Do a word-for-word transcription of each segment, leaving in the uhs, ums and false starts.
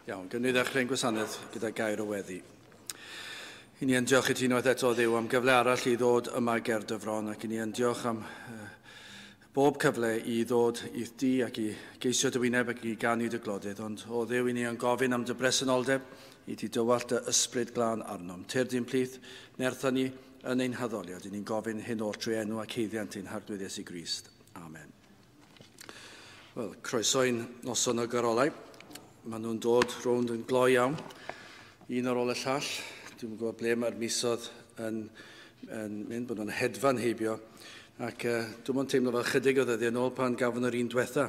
Iawn, gynnu ddechrau'n gwasanaeth gyda gair o weddi. I ni yn diolch i ti unwaith eto Dduw am gyfle arall i ddod yma ger dy fron, ac i ni yn diolch am uh, bob cyfle i ddod i'th di ac i geisio dy wyneb ac i ganu dy glodydd, ond o Dduw i ni yn gofyn am dy bresenoldeb i ti dywallt dy ysbryd glân arnom. Tyrd i'n plith, nertha ni yn ein haddoliad, i ni'n gofyn hyn oll trwy enw ac haeddiant ein Harglwydd Iesu Grist. Amen. Wel, croeso i'n noson o garolau. Maen nhw'n dod rownd yn gloi iawn, un ar ôl y llall. Dwi'm yn gwybod ble mae'r misoedd yn, yn mynd, bod nhw'n hedfan heibio. Ac uh, dwi'n mwyn teimlo fel chydig o ddyddiau yn ôl pan gafon yr un diwetha.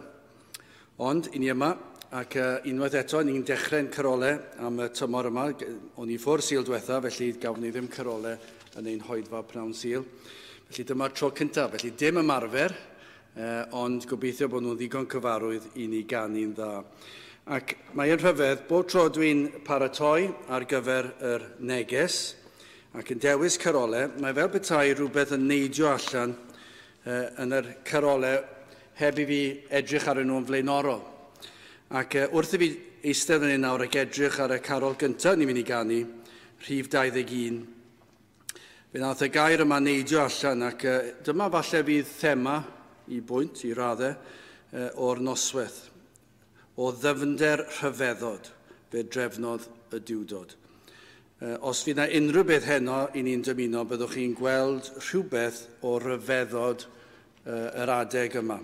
Ond, i ni yma, ac uh, unwaith eto, ni'n dechrau'n carolau am y tymor yma. O'n i ffwrdd Sul diwetha, felly gafon ni ddim carolau yn ein hoedfa pnawn Sul. Felly dyma'r tro cyntaf, felly dim ymarfer, uh, ond gobeithio bod nhw'n ddigon cyfarwydd i ni ganu'n dda. Ac mae'n rhyfedd, bob tro dwi'n paratoi ar gyfer yr neges ac yn dewis carolau, mae fel petai rhywbeth yn neidio allan uh, yn yr carolau heb i fi edrych ar nhw'n flaenorol. Ac uh, wrth i fi eistedd yn un nawr ac edrych ar y carol gyntaf ni'n mynd i ganu, rhif dau ddeg un, fe nath y gair yma neidio allan ac uh, dyma falle fydd thema i bwynt, i raddau, uh, o'r noswaith. O ddyfnder rhyfeddod, fe drefnodd y Duwdod. Os fydd yna unrhyw beth heno i ni'n dymuno, byddwch chi'n gweld rhywbeth o ryfeddod yr adeg yma.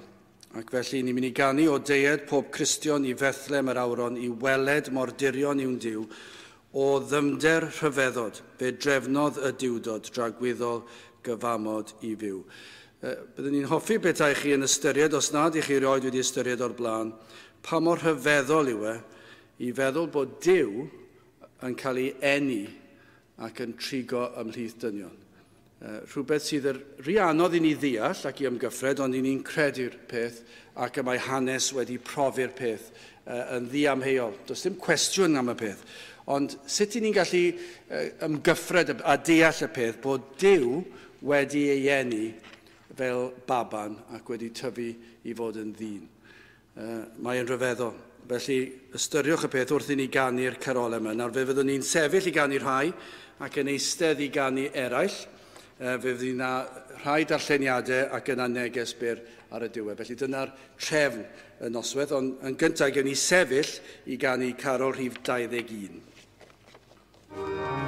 Ac felly ni'n mynd i ganu o deued pob Cristion i Fethlem yr Awron i weled mor dirion yw'n Duw, o ddyfnder rhyfeddod, fe drefnodd y Duwdod dragwyddol gyfamod i fyw. Byddwn ni'n hoffi petai chi yn ystyried, os nad i chi erioed wedi ystyried o'r blaen, pa mor rhyfeddol yw e i feddwl bod Duw yn cael ei eni ac yn trigo ymhlith dynion. Rhywbeth sydd yn rhy anodd i ni ddeall ac i ymgyffred, ond i ni'n credu'r peth ac y mae hanes wedi profi'r peth yn ddiamheuol. Does dim cwestiwn am y peth. Ond sut i ni'n gallu ymgyffred a deall y peth bod Duw wedi ei eni fel baban ac wedi tyfu i fod yn ddyn. Uh, mae'n rhyfeddol. Felly ystyriwch y peth wrth i ni ganu'r carolau yma. Nawr fe fyddwn ni'n sefyll i ganu rhai ac yn eistedd i ganu eraill. Uh, fe fydd yna rhai darlleniadau ac yna neges byr ar y diwedd. Felly dyna'r trefn y noswaith, ond yn gyntaf gewn ni sefyll i ganu carol rhif dau ddeg un. Amen.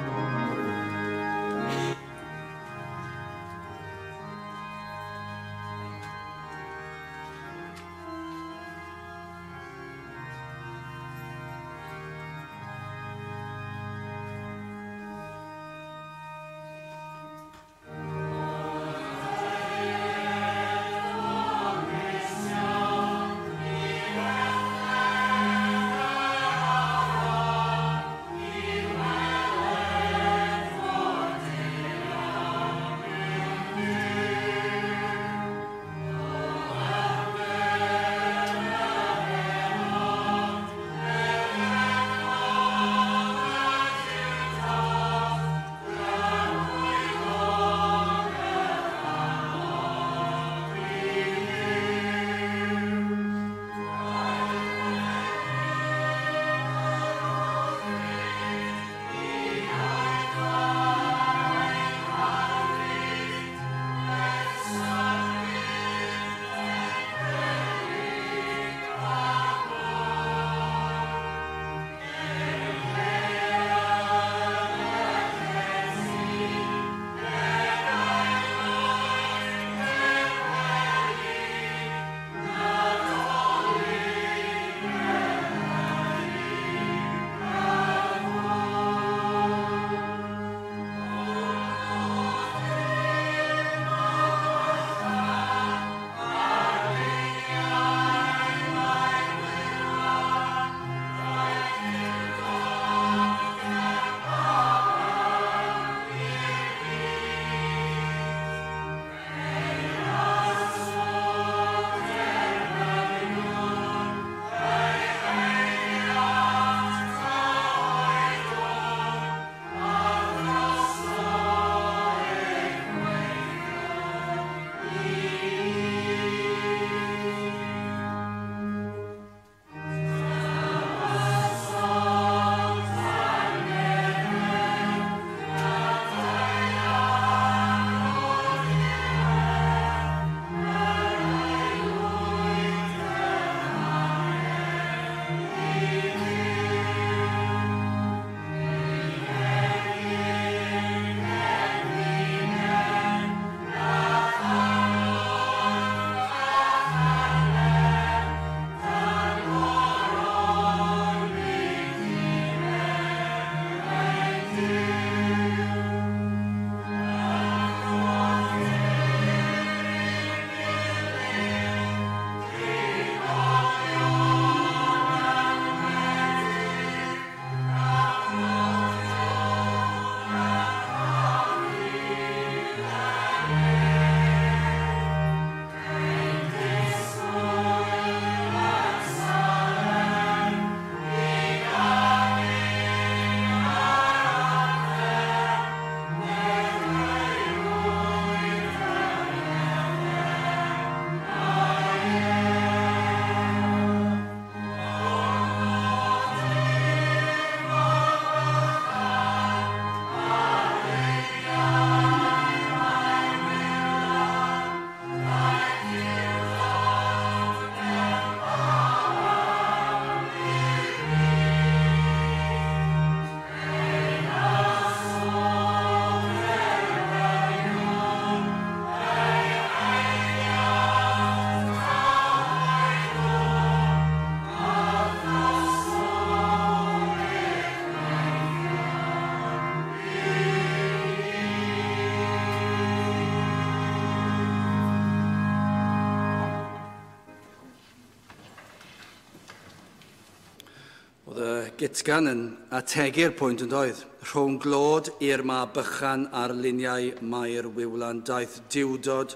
Oedd y gitgan yn ategu'r pwynt yn doedd. Rhwng glod i'r mab bychan ar luniau Mair Wiwlan daeth diwdod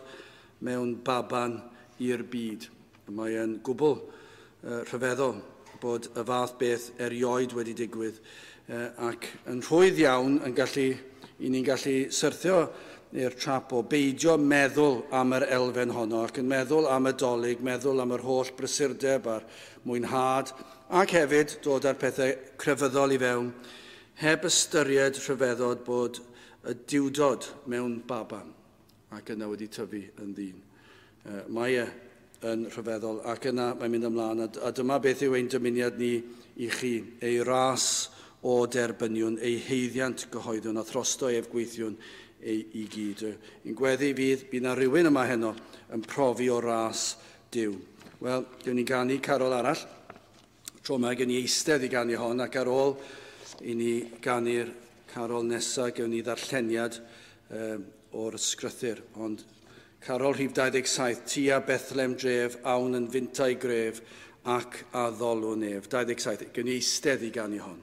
mewn baban i'r byd. Mae e'n gwbl uh, rhyfeddol bod y fath beth erioed wedi digwydd uh, ac yn rhwydd iawn yn gallu, i ni'n gallu syrthio i'r trap o beidio meddwl am yr elfen honno ac yn meddwl am y Dolig, meddwl am yr holl brysurdeb a'r mwynhad ac hefyd dod â'r pethau crefyddol i fewn heb ystyried rhyfeddod bod y diwdod mewn baban ac yna wedi tyfu yn ddyn. Uh, mae e yn rhyfeddol ac yna mae'n mynd ymlaen a, a dyma beth yw ein dymuniad ni i chi, ei ras o derbyniwn, ei heiddiant gyhoeddwn a throsto ef gweithiwn ei, i gyd. Un gweddi fydd, bydd na rhywun yma heno yn profi o ras Duw. Wel, gewn ni ganu carol arall. Tro yma gewn ni eistedd i ganu hon ac ar ôl i ni ganu'r carol nesaf gewn ni ddarlleniad um, o'r ysgrythur. Ond carol rhif dau ddeg saith, tua Bethlehem dref, awn yn fintau gref ac addolwn ef. dau ddeg saith, gewn ni eistedd i ganu hon.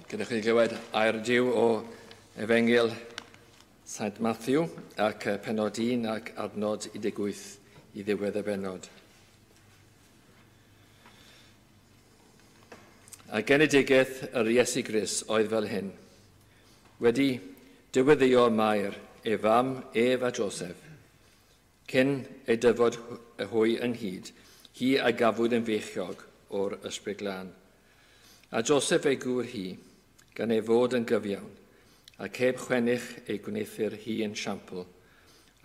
Gyda chi glywed air Duw o Efengyl Sant Matthew ac penod un ac adnod un deg wyth i ddiwedd y bennod. A genedigaeth yr Iesu Grist oedd fel hyn. Wedi diweddio Mair, ei fam, ef a Joseph, cyn ei dyfod hwy ynghyd, hi a gafwyd yn feichiog o'r Ysbryd Glân. A Joseph ei gŵr hi, gan ei fod yn gyfiawn, ac heb chwennych ei gwneuthur hi yn siampl,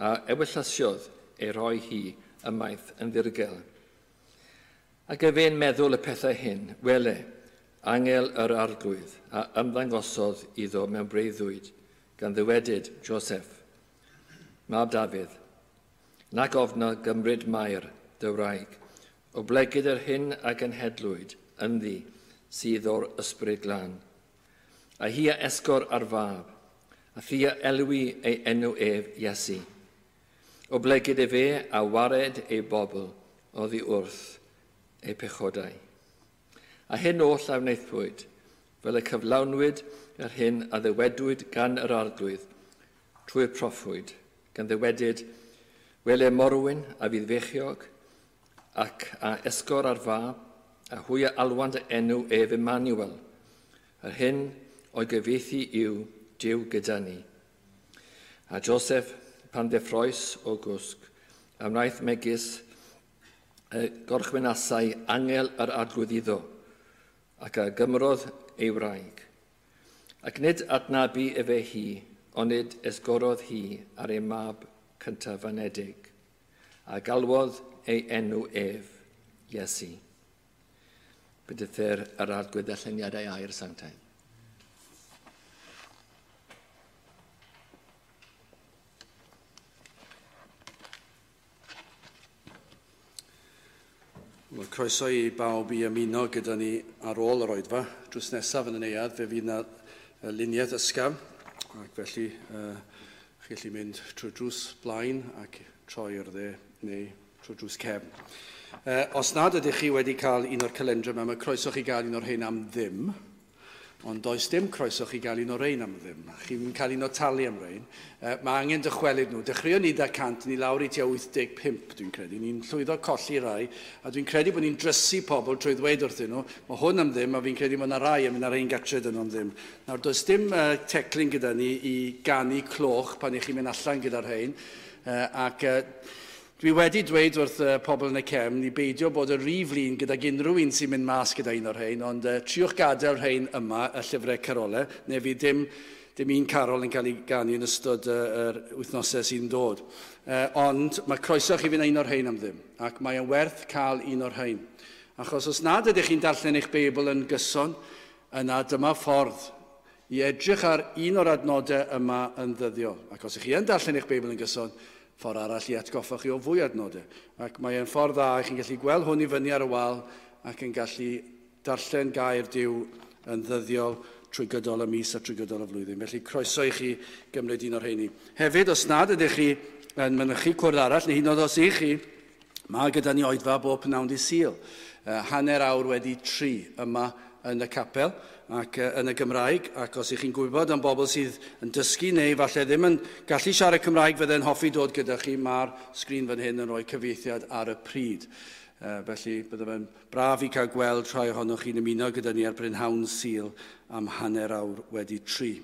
a ewyllysiodd ei roi hi ymaith yn ddirgel. Ac efe'n meddwl y pethau hyn, wele, angel yr arglwydd, a ymddangosodd iddo mewn breuddwyd, gan ddywedyd Joseph, mab Dafydd, nac ofna gymryd Mair dy wraig, oblegid yr hyn a genhedlwyd ynddi sydd o'r Ysbryd Glân. A hi a esgor ar fab, a thi a elwi ei enw ef Iesu. Oblegid efe a wared ei bobl oddi wrth ei pechodau. A hyn oll a wnaethpwyd, fel y cyflawnwyd yr hyn a ddywedwyd gan yr arglwydd trwy'r proffwyd, gan ddywedyd, wele morwyn a fydd feichiog, ac a esgor ar fab, a hwy a alwant enw ef Emmanuel, yr hyn o'i gyfieithu yw Duw gyda ni. A Joseph, pan ddeffroes o gwsg, a wnaeth megis y gorchwynasau angel yr arglwydd iddo, ac a gymrodd ei wraig. Ac nid adnabu efe hi, onid esgorodd hi ar ei mab cyntaf anedig, a galwodd ei enw ef, Iesu. Bendithir yr arglwydd ddarlleniadau air sanctaidd. Wel, croeso i bawb i ymuno gyda ni ar ôl yr oedfa. Drws nesaf yn y neuadd, fe fydd yna luniaeth ysgafn, ac felly uh, chi gallu mynd trwy drws blaen ac troi i'r dde neu trwy drws cefn. Uh, os nad ydych chi wedi cael un o'r calendrau yma, mae croeso chi gael un o'r rhein am ddim, ond does dim croeso chi gael un o'r rhein am ddim. Chi'n cael un o talu am rhein. Uh, mae angen dychwelyd nhw. Dechreuon ni da cant, ni lawr i tua wyth deg pump, dwi'n credu. Ni'n llwyddo colli rai, a dwi'n credu bod ni'n drysu pobl trwy ddweud wrthyn nhw, mae hwn am ddim, a fi'n credu bod yna rai yn mynd ar ein gatre dyn nhw am ddim. Nawr, does dim uh, teclyn gyda ni i ganu cloch pan i chi'n mynd allan gyda'r rhein, uh, ac uh, dwi wedi dweud wrth uh, pobl yn y cefn i beidio bod y rhy flin gydag unrhyw un sy'n mynd mas gyda un o'r rhein, ond uh, triwch gadael rhein yma, y llyfrau carolau, neu fydd dim, dim un carol yn cael ei ganu yn ystod uh, yr wythnosau sy'n dod. Uh, ond mae croeso chi fynd un o'r rhein am ddim, ac mae yn werth cael un o'r rhein. Achos os nad ydych chi'n darllen eich Beibl yn gyson, yna dyma ffordd i edrych ar un o'r adnodau yma yn ddyddiol. Ac os ydych chi yn darllen eich Beibl yn gyson, ffordd arall i atgoffa chi o fwy adnodau. Ac mae'n ffordd dda, chi'n gallu gweld hwn i fyny ar y wal ac yn gallu darllen gair Duw yn ddyddiol trwy gydol y mis a trwy gydol y flwyddyn. Felly croeso i chi gymryd un o'r rheini. Hefyd, os nad ydych chi yn mynychu cwrdd arall, neu hyd yn oed os ych chi, mae gyda ni oedfa bob pnawn dydd Sul. Uh, hanner awr wedi tri yma yn y capel ac uh, yn y Gymraeg, ac os ych chi'n gwybod am bobl sydd yn dysgu neu falle ddim yn gallu siarad Cymraeg fydde'n hoffi dod gyda chi, mae'r sgrin fan hyn yn rhoi cyfieithiad ar y pryd. Uh, felly bydde fe'n braf i cael gweld rhai ohonoch chi'n ymuno gyda ni ar brynhawn Sul am hanner awr wedi tri.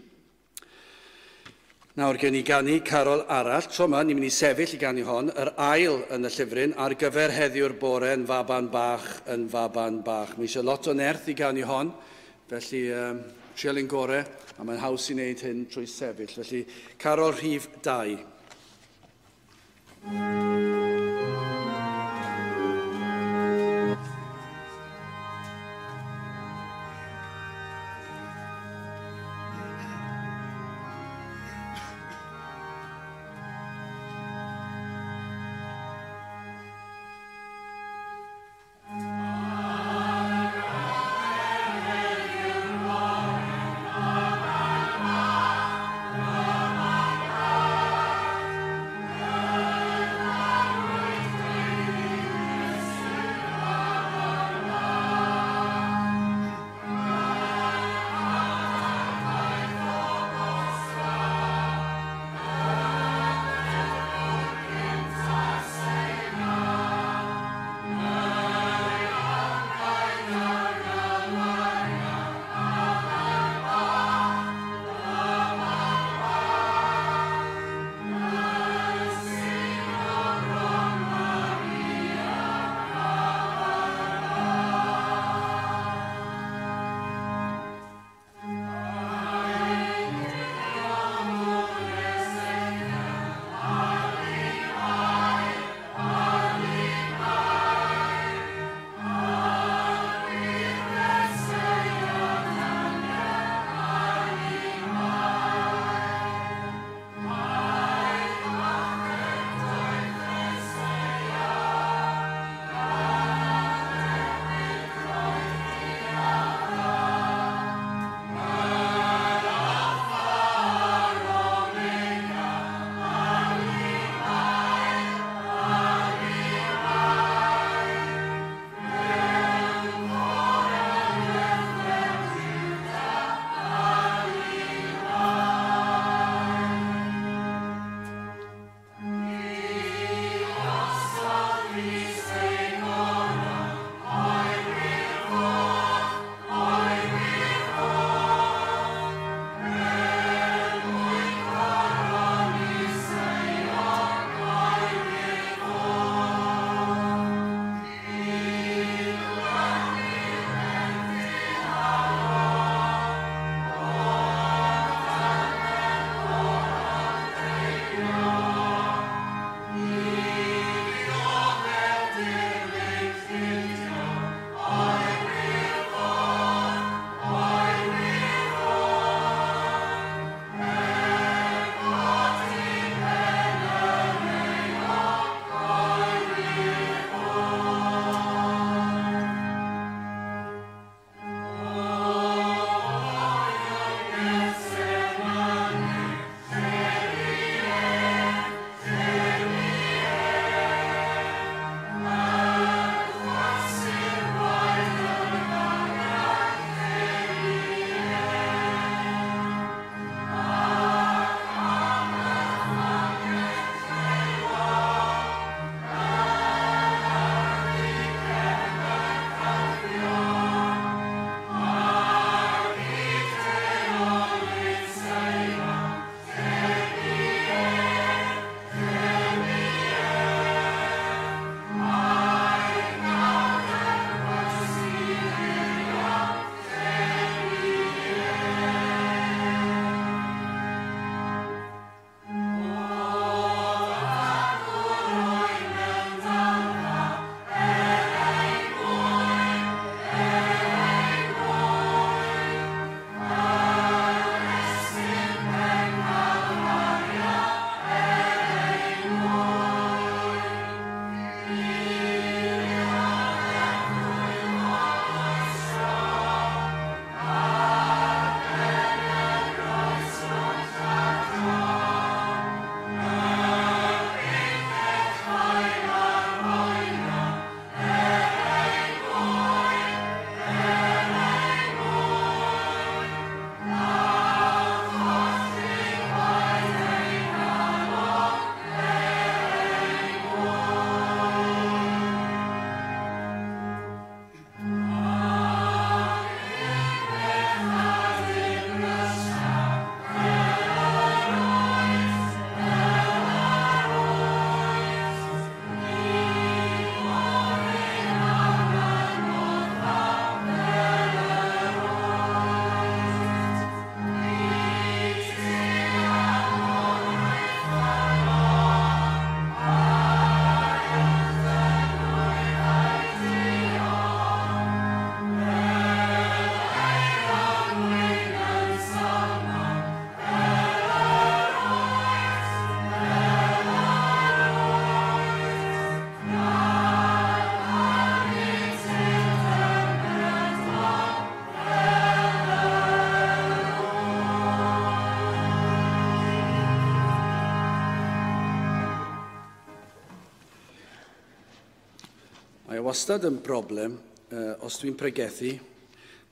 Nawr gen i ganu carol arall, tro yma ni'n mynd i sefyll i ganu hon, yr ail yn y llyfryn ar gyfer heddiw'r bore yn faban bach yn faban bach. Mae eisiau lot o nerth i ganu hon, felly um, trial ein gore, a mae'n haws i wneud hyn trwy sefyll. Felly carol rhif dau. Bye. Mae wastad yn broblem uh, os dwi'n pregethu,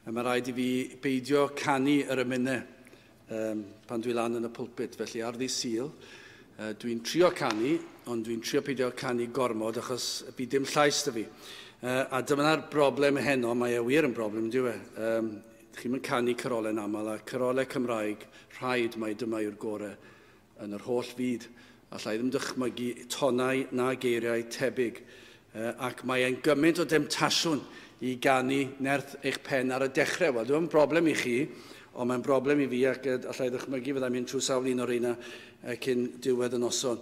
a mae rhaid i fi beidio canu yr emynau um, pan dwi lan yn y pulpit. Felly ar ddydd Sul, uh, dwi'n trio canu, ond dwi'n trio peidio canu gormod achos bydd dim llais 'da fi. Uh, a dyma'r broblem heno, mae e wir yn broblem, dyw e. Um, chi'n mynd canu carolau'n aml, a carolau Cymraeg, rhaid mai dyma yw'r gorau yn yr holl fyd. Alla i ddim dychmygu tonau na geiriau tebyg. Ac mae e'n gymaint o demtasiwn i ganu nerth eich pen ar y dechrau. Wel, dwi'n broblem i chi, ond mae'n broblem i fi ac allai ddychmygu fyddai'n mynd trwy sawl un o'r reina cyn diwedd y noson.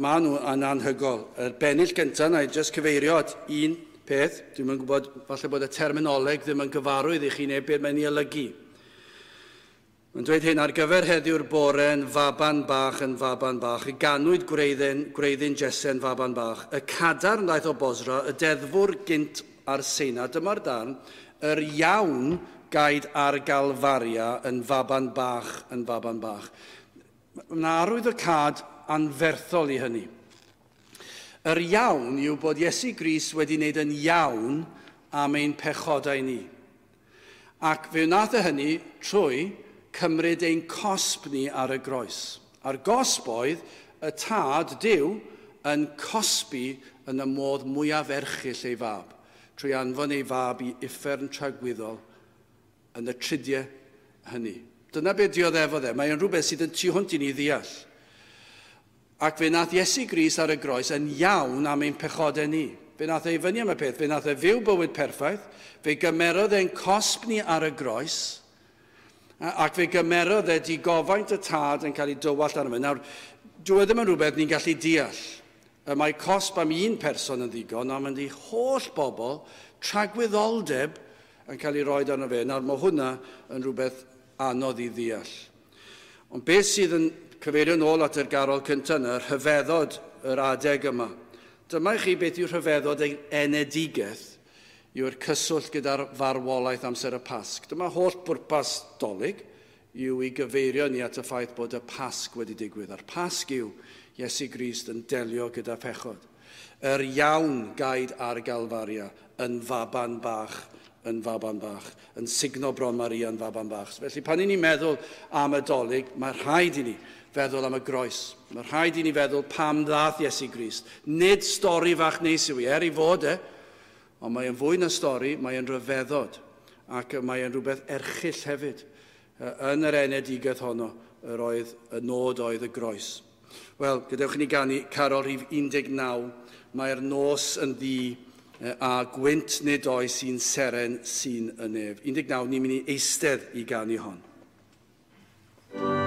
Maen nhw yn anhygoel. Yr bennill gyntaf, na i jyst cyfeirio at un peth. Dwi'm yn gwybod, falle bod y terminoleg ddim yn gyfarwydd i chi neu beth mae'n ei olygu. Mae'n dweud hyn, ar gyfer heddiw'r bore yn faban bach yn faban bach, y ganwyd gwreiddyn, gwreiddyn Jese'n faban bach, y cadarn ddaeth o Bosra, y deddfwr gynt ar Seina, dyma'r darn, yr iawn gaed ar Galfaria yn faban bach yn faban bach. Mae'n arwydd o cad anferthol i hynny. Yr iawn yw bod Iesu Grist wedi wneud yn iawn am ein pechodau ni. Ac fe wnaeth e hynny trwy cymryd ein cosb ni ar y groes. A'r gosb oedd y tad Duw yn cosbi yn y modd mwyaf erchyll ei fab, trwy anfon ei fab i uffern tragwyddol yn y tridiau hynny. Dyna beth dioddefodd e. Mae'n rhywbeth sydd yn tu hwnt i ni ddeall. Ac fe wnaeth Iesu Grist ar y groes yn iawn am ein pechodau ni. Fe wnaeth e i fyny am y peth. Fe wnaeth e fyw bywyd perffaith. Fe gymerodd e'n cosb ni ar y groes. Ac fe gymerodd e digofaint y tad yn cael ei dywallt arno fe. Nawr, dyw e ddim yn rhywbeth ni'n gallu deall. Mae cosb am un person yn ddigon, ond mae'n di holl bobl tragwyddoldeb yn cael ei roed arno fe. Nawr, mae hwnna yn rhywbeth anodd i ddeall. Ond beth sydd yn cyfeirio nôl at yr garol cyntaf yna, rhyfeddod yr adeg yma. Dyma i chi beth yw rhyfeddod ei enedigaeth yw'r cyswllt gyda'r farwolaeth amser y Pasg. Dyma holl bwrpas Dolig yw i gyfeirio ni at y ffaith bod y Pasg wedi digwydd. A'r Pasg yw Iesu Grist yn delio gyda phechod. Yr iawn gaed ar Galfaria yn faban bach, yn faban bach, yn signo bron Maria yn faban bach. Felly pan i ni'n meddwl am y Dolig, mae rhaid i ni feddwl am y groes. Mae rhaid i ni feddwl pam ddath Iesu Grist. Nid stori fach neis yw i, er i fod e, ond mae'n fwy na stori, mae'n rhyfeddod, ac mae'n rhywbeth erchyll hefyd. Yn yr enedigaeth honno, yr oedd, y nod oedd y groes. Wel, gadewch i ni ganu carol rhif un deg naw, mae'r nos yn ddu a gwynt nid oes un seren sy'n y nef. un deg naw, ni'n mynd i eistedd i ganu hon. Yeah.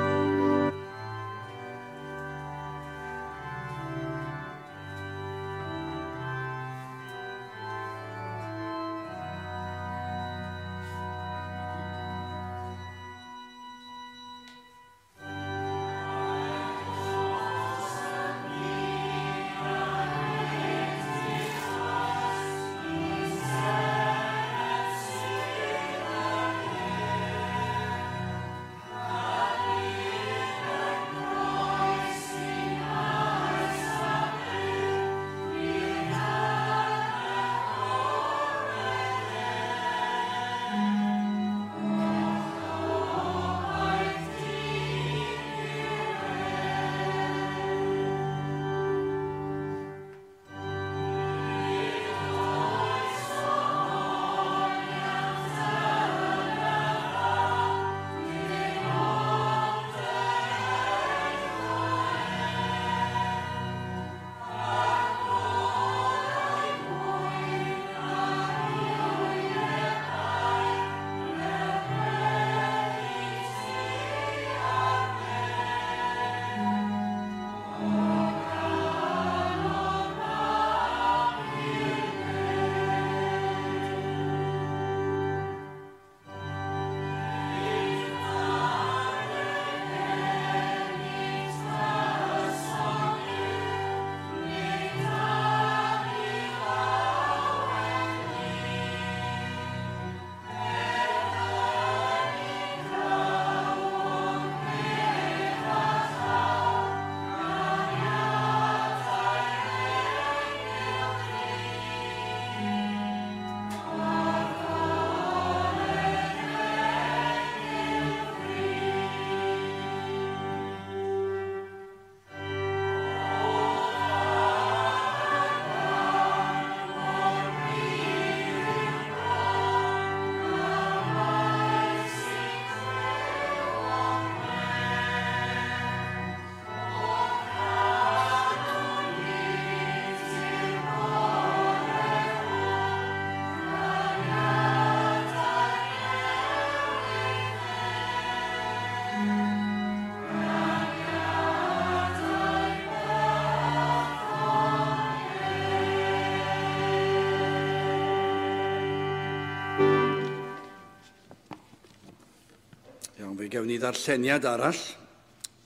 Fe gewn ni ddarlleniad arall,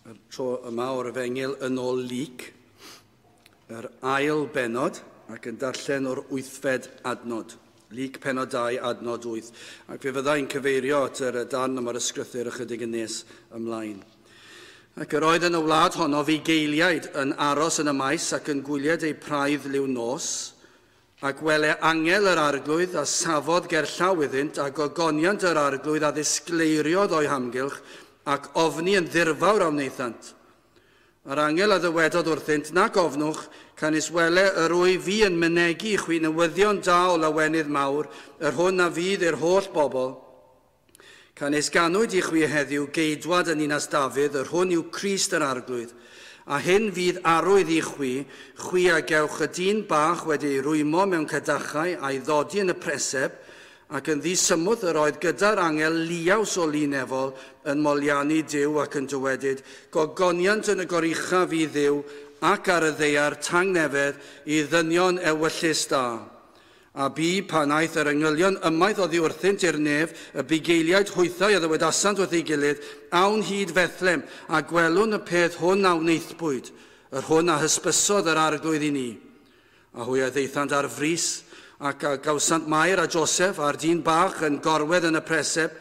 y tro yma o'r Efengyl yn ôl Luc, yr ail bennod, ac yn darllen o'r wythfed adnod. Luc pennod dau, adnod wyth. Ac fe fyddai'n cyfeirio at yr darn yma'r ysgrythur ychydig yn nes ymlaen. Ac yr oedd yn y wlad honno fugeiliaid yn aros yn y maes ac yn gwylied eu praidd liw nos, ac wele angel yr arglwydd a safodd gerllaw iddynt, a gogoniant yr arglwydd a ddisgleiriodd o'i hamgylch, ac ofni yn ddirfawr a wnaethant. Yr angel a ddywedodd wrthynt, nac ofnwch, canys wele yr wyf fi yn mynegi i chwi newyddion da o lawenydd mawr, yr hwn a fydd i'r holl bobl. Canys ganwyd i chwi heddiw geidwad yn ninas Dafydd, yr hwn yw Crist yr arglwydd. A hyn fydd arwydd i chwi, chwi a gewch y dyn bach wedi ei rwymo mewn cadachau a'i ddodi yn y preseb, ac yn ddisymwth yr oedd gyda'r angel liaws o linefol yn moliannu Duw ac yn dywedyd, gogoniant yn y goruchaf i Dduw ac ar y ddaear tangnefedd i ddynion ewyllys da. A bu pan aeth yr angylion ymaith oddi wrthynt i'r nef, y bugeiliaid hwythau a ddywedasant wrth ei gilydd, awn hyd Fethlem, a gwelwn y peth hwn a wnaethpwyd, yr hwn a hysbysodd yr arglwydd i ni. A hwy a ddaethant ar frys, ac a gawsant Mair a Joseph a'r dyn bach yn gorwedd yn y preseb,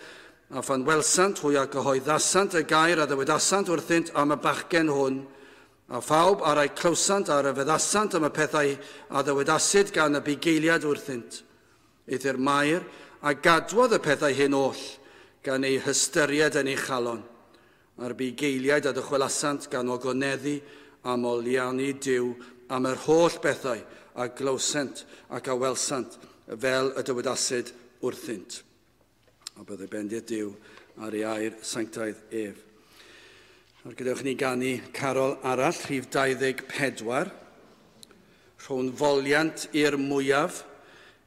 a phan welsant hwy a gyhoeddasant y gair a ddywedasant wrthynt am y bachgen hwn, a phawb a'r ei clywsant a'r feddasant am y pethau a ddywedasid gan y bugeiliad wrthynt. Eithr Mair a gadwodd y pethau hyn oll gan eu hystyried yn ei chalon. A'r bugeiliaid a ddychwelasant gan ogoneddu a moliannu Duw am yr holl bethau a glywsent ac a welsant fel y dywedasid wrthynt. A byddai bendith Duw ar ei air sanctaidd ef. Nawr gadewch ni ganu carol arall, rhif dau ddeg pedwar. Rhown foliant i'r mwyaf,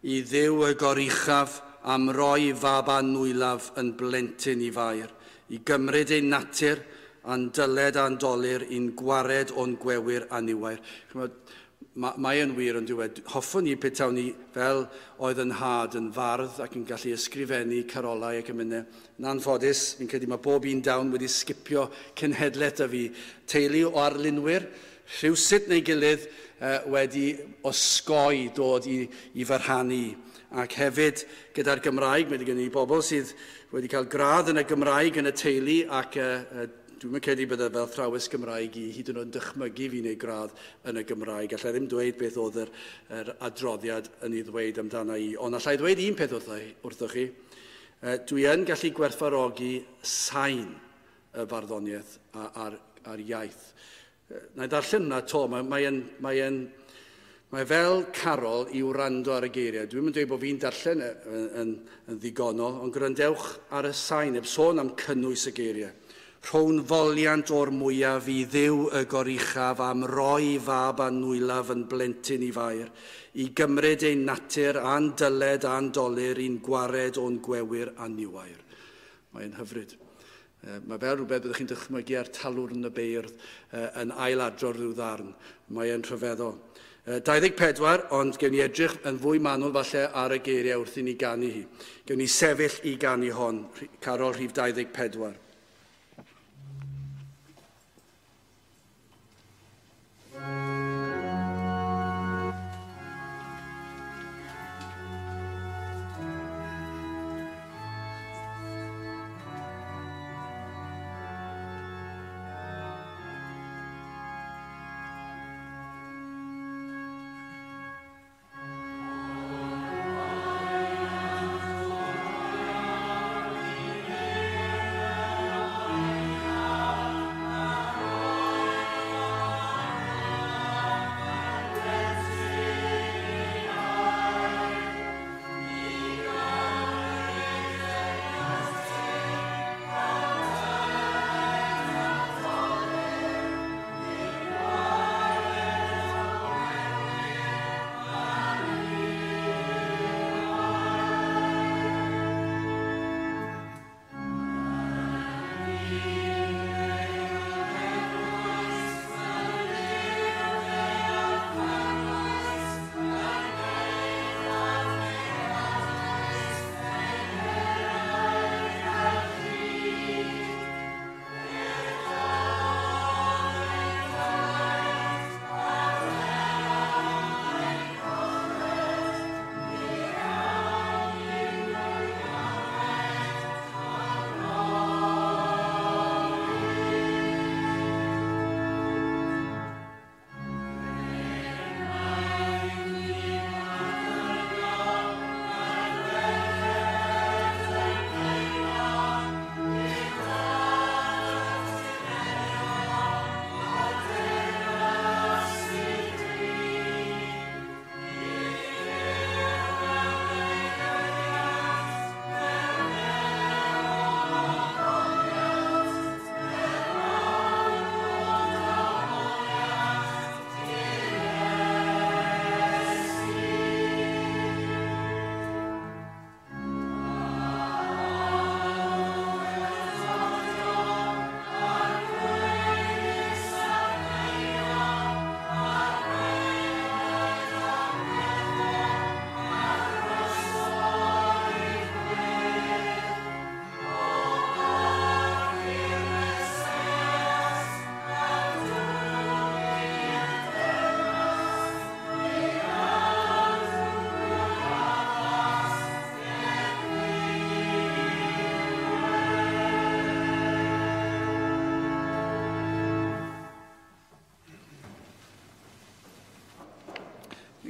i Dduw y goruchaf am roi fab anwylaf yn blentyn i Fair, i gymryd ein natur a'n dyled a'n dolur i'n gwared o'n gwewyr aniwair. Mae, mae yn wir yn dweud, hoffwn i petawn ni fel oedd yn nhad yn fardd ac yn gallu ysgrifennu carolau ac emynau. Yn anffodus, fi'n credu mae bob un dawn wedi sgipio cenhedlaeth a fi. Teulu o arlunwyr, rhywsut neu gilydd eh, wedi osgoi dod i, i fy rhannu. Ac hefyd gyda'r Gymraeg, mae gen i bobl sydd wedi cael gradd yn y Gymraeg yn y teulu ac eh, dwi'n credu bydde fel thrawes Gymraeg i hyd yn oed yn dychmygu fi neu gradd yn y Gymraeg. Allai ddim dweud beth oedd yr, yr adroddiad yn ei ddweud amdana i. Ond allai ddweud un peth wrtho, wrthoch chi. E, dwi yn gallu gwerthfawrogi sain y farddoniaeth a'r, a'r iaith. E, na i ddarllen hwnna to, mae, mae, yn, mae, yn, mae fel carol i wrando ar y geiriau. Dwi'n mynd dweud bod fi'n darllen yn, yn, yn ddigonol, ond gwrandewch ar y sain, heb sôn am cynnwys y geiriau. Rhown foliant o'r mwyaf i Dduw y goruchaf am roi fab anwylaf yn blentyn i Fair, i gymryd ein natur a'n dyled a'n dolur i'n gwared o'n gwewyr aniwair. Mae'n hyfryd. Mae fel rhywbeth byddwch chi'n dychmygu ar talwrn y beirdd yn ailadrodd rhyw ddarn. Mae'n rhyfeddol. dau ddeg pedwar, ond gewn ni edrych yn fwy manwl falle ar y geiriau wrth i ni ganu hi. Gewn ni sefyll i ganu hon, carol rhif dau ddeg pedwar. I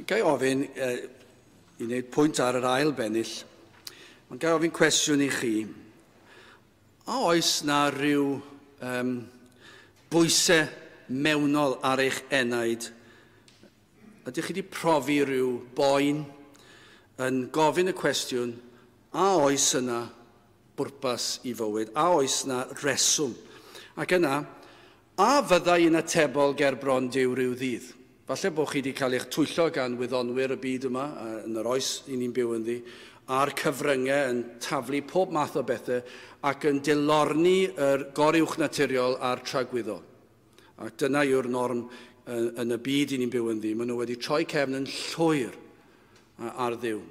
Ga i ofyn, eh, i wneud pwynt ar yr ail bennill, ond ga i ofyn cwestiwn i chi. A oes na rhyw um, bwysau mewnol ar eich enaid? Ydych chi wedi profi rhyw boen yn gofyn y cwestiwn, a oes yna bwrpas i fywyd? A oes yna reswm? Ac yna, a fyddai yn atebol ger bron Duw rhyw ddydd? Falle bod chi wedi cael eich twyllo gan wyddonwyr y byd yma, yn yr oes i ni'n byw ynddi, a'r cyfryngau yn taflu pob math o bethau ac yn dilorni yr goruwch naturiol a'r tragwyddol. Ac dyna yw'r norm yn y byd i ni'n byw ynddi. Maen nhw wedi troi cefn yn llwyr ar Dduw.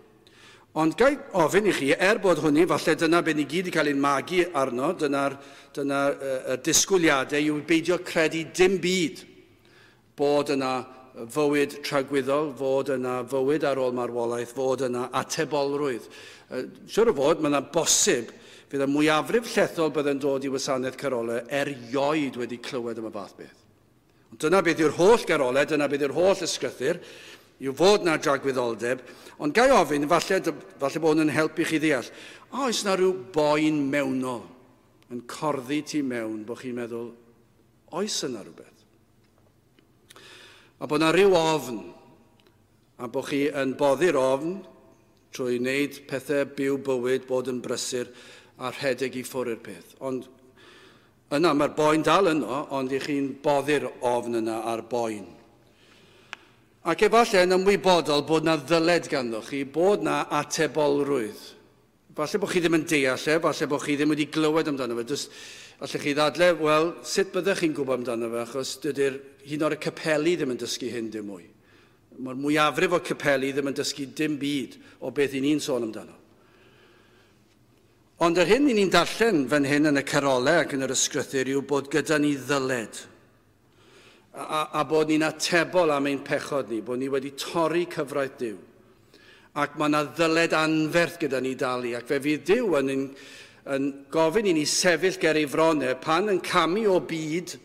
Ond ga i ofyn i chi, er bod hwnny, falle dyna beth ni gyd wedi cael ein magu arno, dyna'r dyna, uh, disgwyliadau yw beidio credu dim byd bod yna fywyd tragwyddol, fod yna fywyd ar ôl marwolaeth, fod yna atebolrwydd. Uh, siwr o fod, mae yna bosib, fydd y mwyafrif llethol bydd yn dod i wasanaeth carolau erioed wedi clywed am y fath beth. Ond dyna beth yw'r holl garolau, dyna beth yw'r holl ysgrythur, yw fod na dragwyddoldeb, ond ga i ofyn, falle, falle bod hwn yn helpu chi ddeall, a oes na rhyw boen mewnol yn corddi ti mewn, bod chi'n meddwl, oes yna rhywbeth? A bod na rhyw ofn, a bod chi yn boddi'r ofn trwy wneud pethau byw bywyd, bod yn brysur a rhedeg i ffwrdd i'r peth. Ond yna, mae'r boen dal yno, ond i chi'n boddi'r ofn yna a'r boen. Ac efallai yn ymwybodol bod na ddyled ganddo chi, bod na atebolrwydd. Falle bod chi ddim yn deall e, falle bod chi ddim wedi glywed amdano fe. Just, allech chi ddadle, wel, sut byddech chi'n gwybod amdano fe, achos dydy'r hyn o'r capeli ddim yn dysgu hyn dim mwy. Mae'r mwyafrif o capeli ddim yn dysgu dim byd o beth i ni'n sôn amdano. Ond yr hyn i ni'n darllen fan hyn yn y carolau ac yn yr ysgrythur yw bod gyda ni ddyled. A, a bod ni'n atebol am ein pechod ni, bod ni wedi torri cyfraith Duw. Ac mae yna ddyled anferth gyda ni dalu, ac fe fydd Duw yn, yn, yn gofyn i ni sefyll ger ei fronau pan yn camu o byd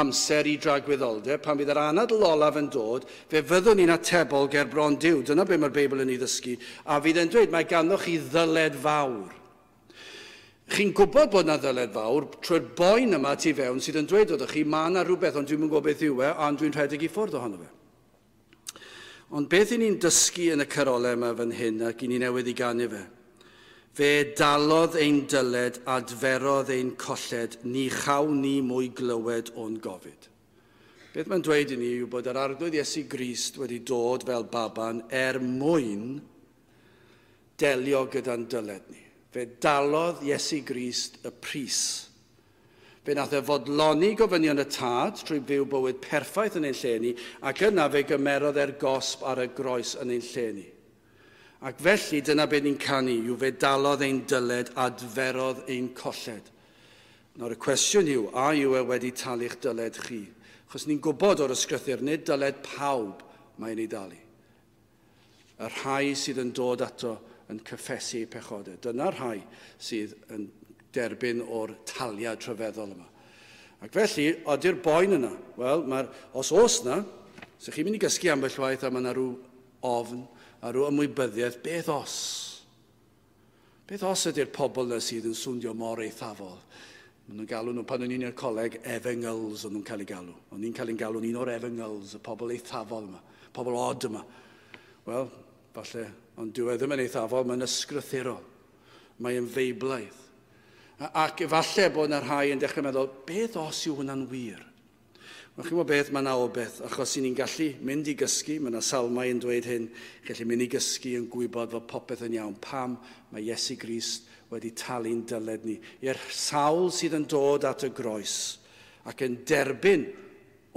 amser i dragwyddoldeb, pan fydd yr anadl olaf yn dod, fe fyddwn ni'n atebol ger bron Duw. Dyna be mae'r Beibl yn ei ddysgu. A fydd e'n dweud, mae ganddoch chi ddyled fawr. Chi'n gwybod bod yna ddyled fawr trwy'r boen yma tu fewn sydd yn dweud wrthych chi, mae yna rhywbeth, ond dwi'm yn gwybod beth yw e, ond dwi'n rhedeg i ffwrdd ohono fe. Ond beth i ni'n dysgu yn y carolau yma fan hyn, ac i ni newydd i ganu fe? Fe dalodd ein dyled, adferodd ein colled, ni chawn ni mwy glywed o'n gofid. Beth mae'n dweud i ni yw bod yr Arglwydd Iesu Grist wedi dod fel baban er mwyn delio gyda'n dyled ni. Fe dalodd Iesu Grist y pris. Fe nath e fodloni gofynion y tad trwy fyw bywyd perffaith yn ein lle ni, ac yna fe gymerodd e'r gosb ar y groes yn ein lle ni. Ac felly dyna beth ni'n canu, yw fe dalodd ein dyled, adferodd ein colled. Nawr y cwestiwn yw, a yw e wedi talu'ch dyled chi? Achos ni'n gwybod o'r ysgrythur, nid dyled pawb mae'n ei dalu. Y rhai sydd yn dod ato yn cyffesu eu pechodau. Dyna'r rhai sydd yn derbyn o'r taliad rhyfeddol yma. Ac felly, ody'r boen yna? Wel, mae'r, os oes na, so chi'n mynd i gysgu ambell waith a mae yna rhyw ofn a rhyw ymwybyddiaeth, beth os? Beth os ydy'r pobl yna sydd yn swndio mor eithafol? Maen nhw'n galw nhw, pan o'n i'n i'r coleg, efengyls o'n nhw'n cael eu galw. O'n i'n cael ein galw'n un o'r efengyls, y pobl eithafol yma, pobl od yma. Wel, falle, ond dyw e ddim yn eithafol, mae'n ysgrythurol. Mae'n feiblaidd. Ac efallai bod yna rhai yn dechrau meddwl, beth os yw hwnna'n wir? Wel, chi'n gwybod beth, mae yna obeth, achos i ni'n gallu mynd i gysgu, mae yna salmau yn dweud hyn, gallu mynd i gysgu yn gwybod fod popeth yn iawn. Pam mae Iesu Grist wedi talu'n dyled ni. I'r sawl sydd yn dod at y groes ac yn derbyn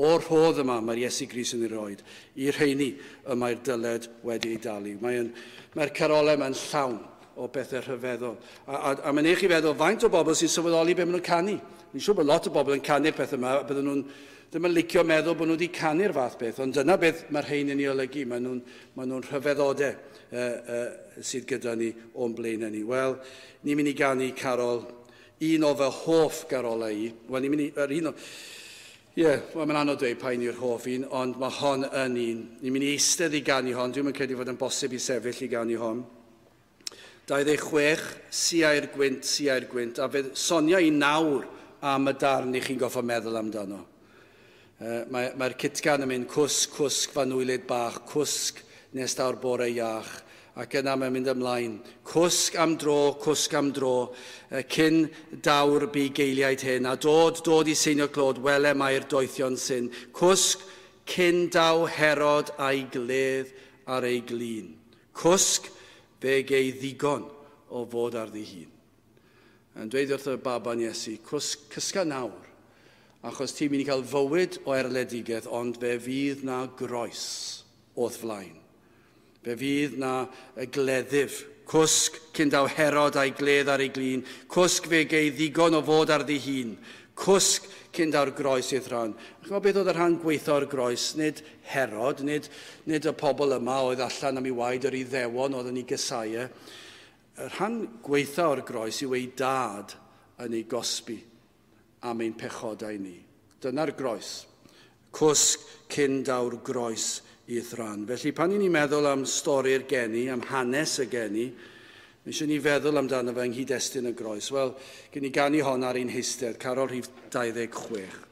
o'r rhodd yma mae'r Iesu Grist yn ei roed, i'r rheini y mae'r dyled wedi ei dalu. Mae'n, mae'r carolau yma'n llawn o bethau rhyfeddol. A, a, a mae'n eich i feddwl faint o bobl sy'n sylweddoli be maen nhw'n canu. Fi'n siŵr bod lot o bobl yn canu'r pethau yma, a bydden nhw'n ddim yn licio meddwl bod nhw wedi canu'r fath beth, ond dyna beth mae'r rhain yn ei olygu. Maen nhw'n maen nhw'n rhyfeddodau uh, uh, sydd gyda ni o'n blaenau ni. Wel, ni'n mynd i ganu carol, un o fy hoff garolau i. Wel, ni'n mynd i, yr un o, Ie, yeah, wel, mae'n anodd dweud pa un yw'r hoff un, ond mae hon yn un. Ni'n mynd i eistedd i ganu hon, dwi'n credu fod yn bosib i sefyll i ganu hon. dau ddeg chwech, siau'r gwynt, siau'r gwynt, a fe sonia i nawr am y darn i chi'n goffo meddwl amdano. Uh, Mae'r mae cytgan yn mynd cwsg, cwsg, fanwylyd bach, cwsg nes daw'r bore iach, ac yna mae'n mynd ymlaen. Cwsg am dro, cwsg am dro, cyn daw'r bugeiliaid hyn, a dod, dod i seinio clod, wele mae'r doethion sy'n. Cwsg cyn daw Herod a'i gledd ar ei glin. Cwsg fe gei ddigon o fod ar ddi hun. Yn dweud wrth y baban Iesu, cwsg, cysga nawr, achos ti'n mynd i cael fywyd o erledigaeth, ond fe fydd na groes o'th flaen. Fe fydd na gleddyf, cwsg cyn daw Herod a'i gledd ar ei glin, cwsg fe gei ddigon o fod ar ddi hun, cwsg cyn daw'r groes i'th rhan. A chymod beth oedd y rhan gweithio o'r groes? Nid Herod, nid, nid y pobl yma oedd allan am ei waed yr Iddewon oedd yn ei gysau. Y rhan gweithio o'r groes yw ei dad yn ei gosbi am ein pechodau ni. Dyna'r groes. Cwsg cyn daw'r groes i'th rhan. Felly pan i ni'n meddwl am stori'r geni, am hanes y geni, mae eisiau ni feddwl amdano fe yng nghyd-destun y groes. Wel, gen i ganu hon ar ein heistedd, carol rhif dau ddeg chwech.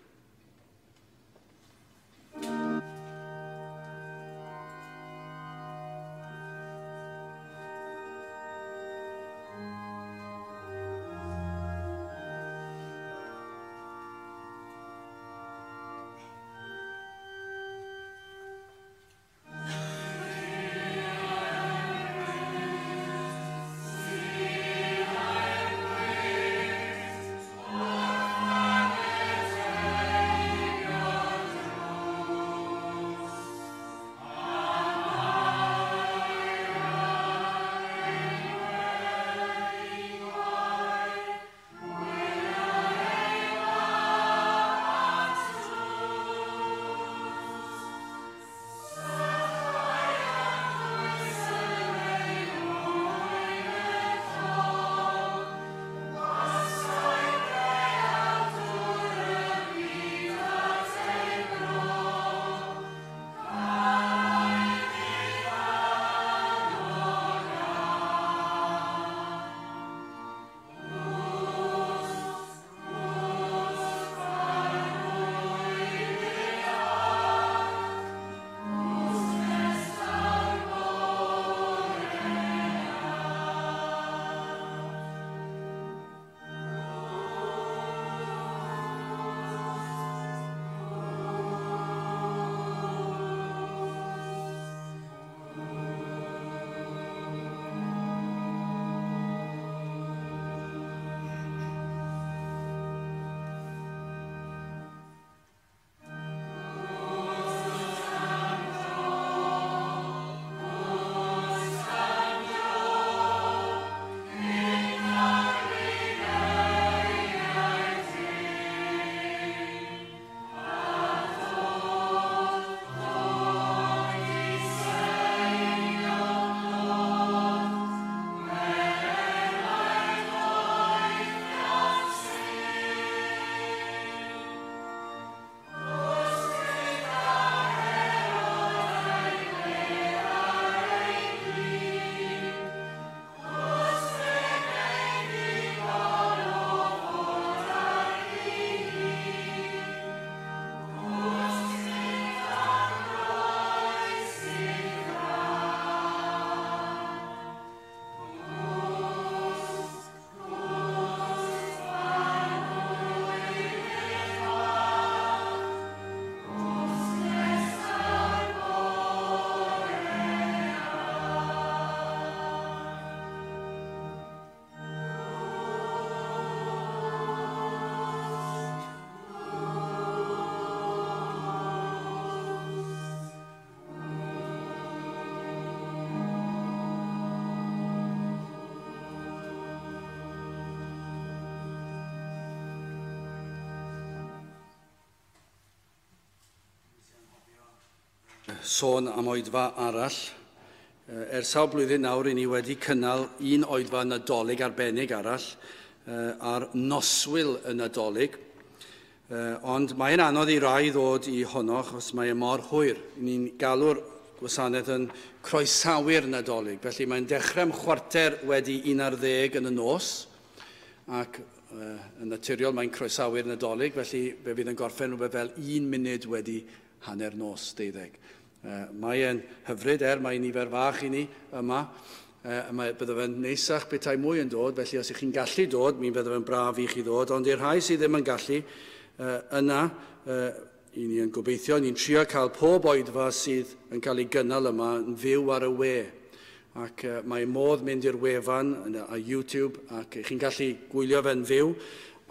Sôn am oedfa arall. Ers sawl blwyddyn nawr, i ni wedi cynnal un oedfa Nadolig arbennig arall ar noswyl y Nadolig. Uh, ond mae'n anodd i rai ddod i honno, achos mae e mor hwyr. Ni'n galw'r gwasanaeth yn croesawu'r Nadolig. Felly mae'n dechrau am chwarter wedi un ar ddeg yn y nos, ac uh, yn naturiol mae'n croesawu'r Nadolig, felly fe fydd yn gorffen rhywbeth fel un munud wedi hanner nos deuddeg. Uh, mae'n hyfryd, er mae nifer fach i ni yma. Uh, mae, bydde fe'n neisach petai mwy yn dod, felly os ych chi'n gallu dod, mi fydde fe'n braf i chi ddod, ond i'r rhai sydd ddim yn gallu, uh, yna, uh, i ni yn gobeithio, ni'n trio cael pob oedfa sydd yn cael ei gynnal yma yn fyw ar y we. Ac uh, mae modd mynd i'r wefan a YouTube, ac chi'n gallu gwylio fe'n fyw.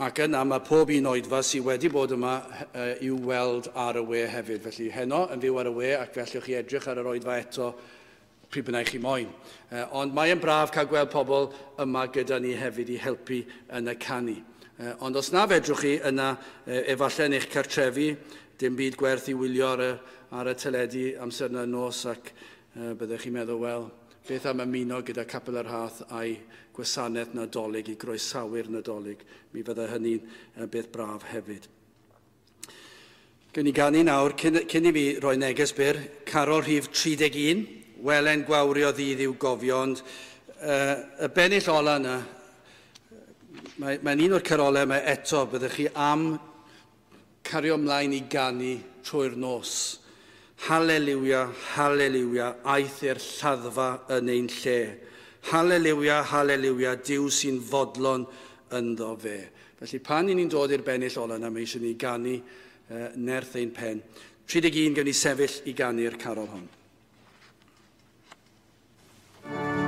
Ac yna mae pob un oedfa sydd wedi bod yma uh, i'w weld ar y we hefyd. Felly heno yn fyw ar y we, ac fe allwch chi edrych ar yr oedfa eto pryd bynnag chi moyn. Uh, ond mae'n braf cael gweld pobl yma gyda ni hefyd i helpu yn y canu. Uh, ond os na fedrwch chi yna, uh, efallai yn eich cartrefi, dim byd gwerth i wylio ar y, ar y teledu amser yna nos, ac uh, byddech chi'n meddwl, wel, beth am ymuno gyda Capel yr Rhath a'i gwasanaeth Nadolig i groesawu'r Nadolig. Mi fydde hynny'n uh, beth braf hefyd. Gewn ni ganu nawr, cyn, cyn i fi roi neges byr, carol rhif tri deg un, Welen gwawrio ddydd i'w gofio, ond uh, y bennill ola yna, mae'n mae un o'r carolau yma eto, byddech chi am cario ymlaen i ganu trwy'r nos. Haleliwia, haleliwia, aeth i'r lladdfa yn ein lle. Haleliwia, haleliwia, Duw sy'n fodlon ynddo fe. Felly pan i ni'n dod i'r bennill ola yna, mae eisiau ni ganu uh, nerth ein pen. tri deg un, gewn ni sefyll i ganu'r carol hon. Amen.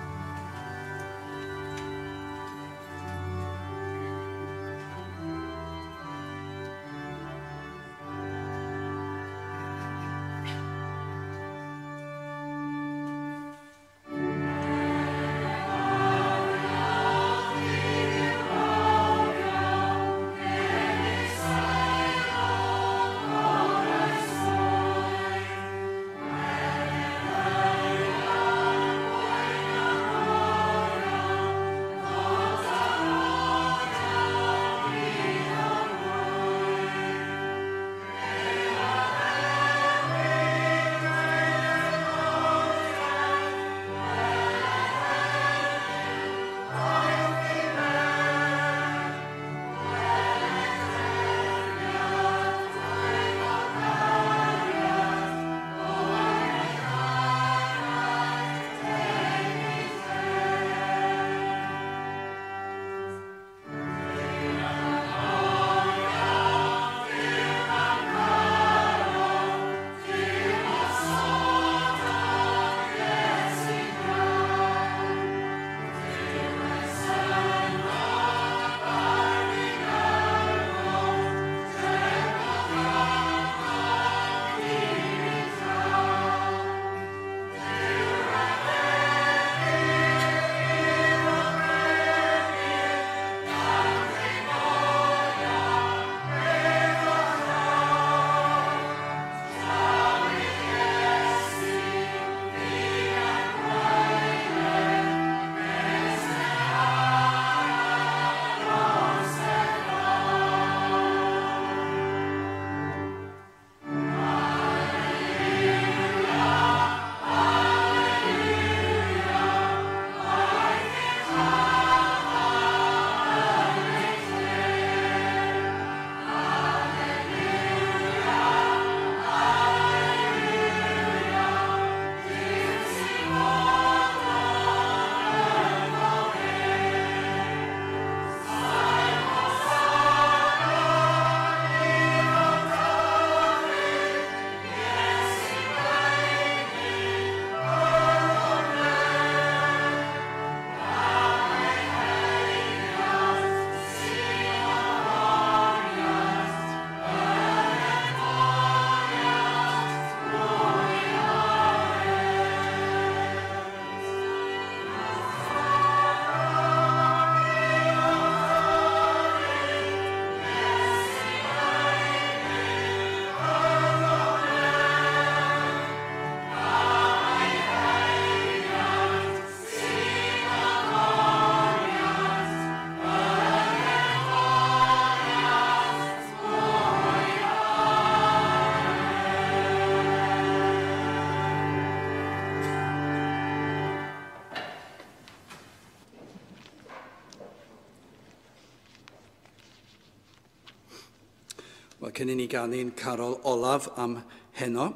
cyn i ni ganu'n carol olaf am heno,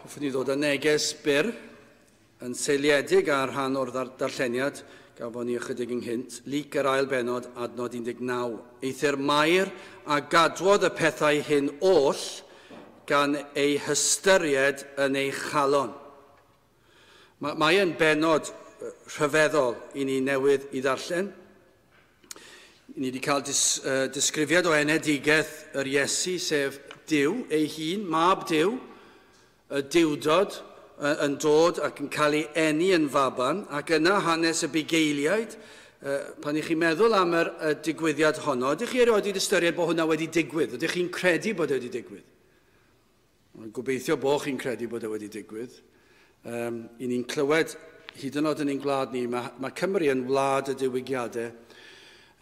hoffwn i ddod â neges byr yn seiliedig ar rhan o'r darlleniad gafon ni ychydig ynghynt, Luc yr ail bennod, adnod un deg naw. Eithr Mair a gadwodd y pethau hyn oll gan ei hystyried yn ei chalon. Mae yn bennod rhyfeddol i ni newydd i ddarllen. Ni wedi cael dis, uh, disgrifiad o enedigaeth yr Iesu, sef Duw ei hun, mab Duw, y Duwdod yn dod ac yn cael ei eni yn faban, ac yna hanes y bugeiliaid. Pan i chi'n meddwl am yr y digwyddiad honno, ydych chi erioed wedi ystyried bod hwnna wedi digwydd? Ydych chi'n credu bod e wedi digwydd? Gobeithio bod chi'n credu bod e wedi digwydd. Um, I ni'n clywed, hyd yn oed yn ein gwlad ni, mae, mae Cymru yn wlad y diwygiadau,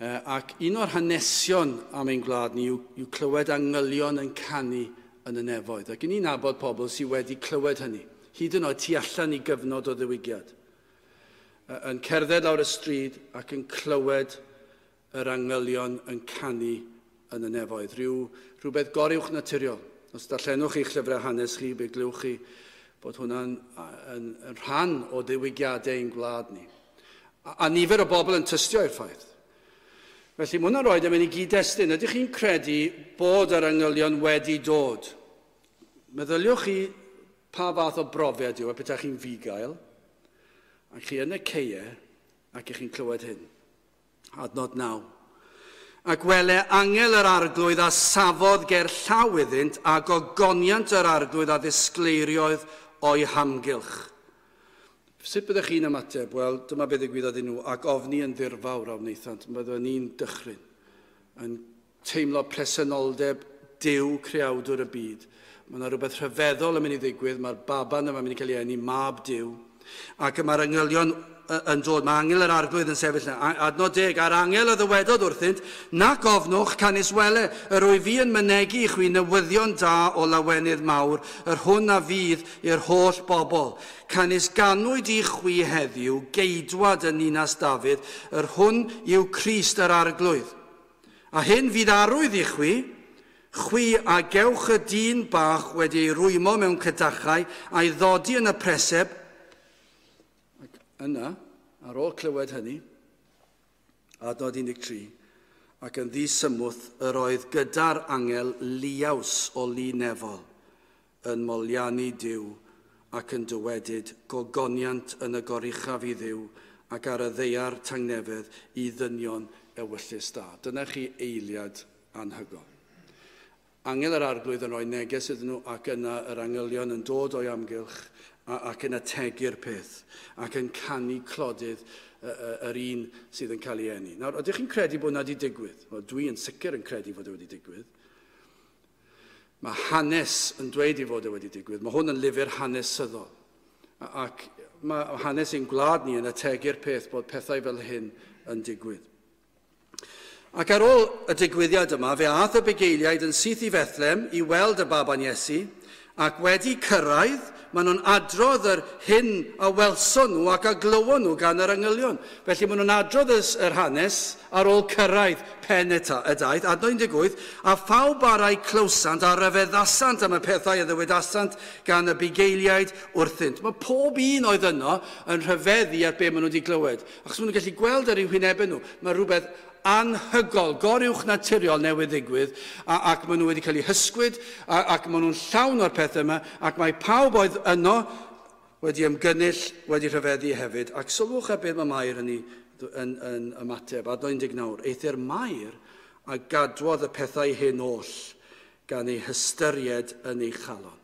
uh, ac un o'r hanesion am ein gwlad ni yw, yw clywed angylion yn canu yn y nefoedd. Ac i ni'n nabod pobl sydd wedi clywed hynny, hyd yn oed tu allan i gyfnod o ddiwygiad. Yn cerdded lawr y stryd ac yn clywed yr angylion yn canu yn y nefoedd. Rhyw, rhywbeth goruwch naturiol. Os darllenwch chi'ch llyfrau hanes chi, be glywch chi bod hwnna'n yn, yn rhan o ddiwygiadau ein gwlad ni. A, a nifer o bobl yn tystio i'r ffaith. Felly mae hwnna'n rhoi e mewn i gyd-destun. Ydych chi'n credu bod yr angylion wedi dod? Meddyliwch chi pa fath o brofiad yw e petai chi'n fugail, ac chi yn y ceie, ac ych chi'n clywed hyn. Adnod naw. Ac wele angel yr arglwydd a safodd ger llaw iddynt, a gogoniant yr arglwydd a ddisgleiriodd o'i hamgylch. Sut byddech chi'n ymateb? Wel, dyma beth ddigwyddodd iddyn nhw, ac ofni yn ddirfawr a wnaethant. Byddwn ni'n dychryn, yn teimlo presenoldeb Duw creawdwr y byd. Mae yna rhywbeth rhyfeddol yn mynd i ddigwydd, mae'r baban yma'n mynd i cael ei eni, mab Duw, ac mae'r angylion yn dod, mae angel yr arglwydd yn sefyll yna. Adnod deg, a'r angel a ddywedodd wrthynt, nac ofnwch, canys wele, yr wyf fi yn mynegi i chwi newyddion da o lawenydd mawr, yr hwn a fydd i'r holl bobl. Canys ganwyd i chwi heddiw, geidwad yn ninas Dafydd, yr hwn yw Crist yr arglwydd. A hyn fydd arwydd i chwi, chwi a gewch y dyn bach wedi ei rwymo mewn cadachau a'i ddodi yn y preseb. Ac yna, ar ôl clywed hynny, adnod un deg tri, ac yn ddisymwth yr oedd gyda'r angel liaws o lu nefol yn moliannu Duw ac yn dywedyd gogoniant yn y goruchaf i Dduw ac ar y ddaear tangnefedd i ddynion ewyllys da. Dyna chi eiliad anhygoel. Angel yr arglwydd yn rhoi neges iddyn nhw, ac yna yr angylion yn dod o'i amgylch ac yn ategu'r peth ac yn canu clodydd yr un sydd yn cael ei eni. Nawr, ydych chi'n credu bod hwnna wedi digwydd? Wel, dwi yn sicr yn credu fod e wedi digwydd. Mae hanes yn dweud i fod e wedi digwydd. Mae hwn yn lyfr hanesyddol. Ac mae hanes ein gwlad ni yn ategu'r peth bod pethau fel hyn yn digwydd. Ac ar ôl y digwyddiad yma, fe aeth y bugeiliaid yn syth i Fethlem i weld y baban Iesu, ac wedi cyrraedd, maen nhw'n adrodd yr hyn a welson nhw ac a glywon nhw gan yr angylion. Felly maen nhw'n adrodd yr hanes ar ôl cyrraedd pen y daith, adnod un deg wyth, a phawb arai clywsant a ryfeddasant am y pethau a ddywedasant gan y bugeiliaid wrthynt. Mae pob un oedd yno yn rhyfeddu at be maen nhw wedi glywed. Achos maen nhw'n gallu gweld ar eu hwynebau nhw, mae rhywbeth anhygol, goruwch naturiol newydd ddigwydd, a, ac maen nhw wedi cael eu hysgwyd, a, ac maen nhw'n llawn o'r pethau yma, ac mae pawb oedd yno wedi ymgynnull, wedi rhyfeddu hefyd. Ac sylwch ar beth mae Mair yn, ei, yn, yn ymateb, adnod un deg naw, eithr Mair a gadwodd y pethau hyn oll gan ei hystyried yn ei chalon.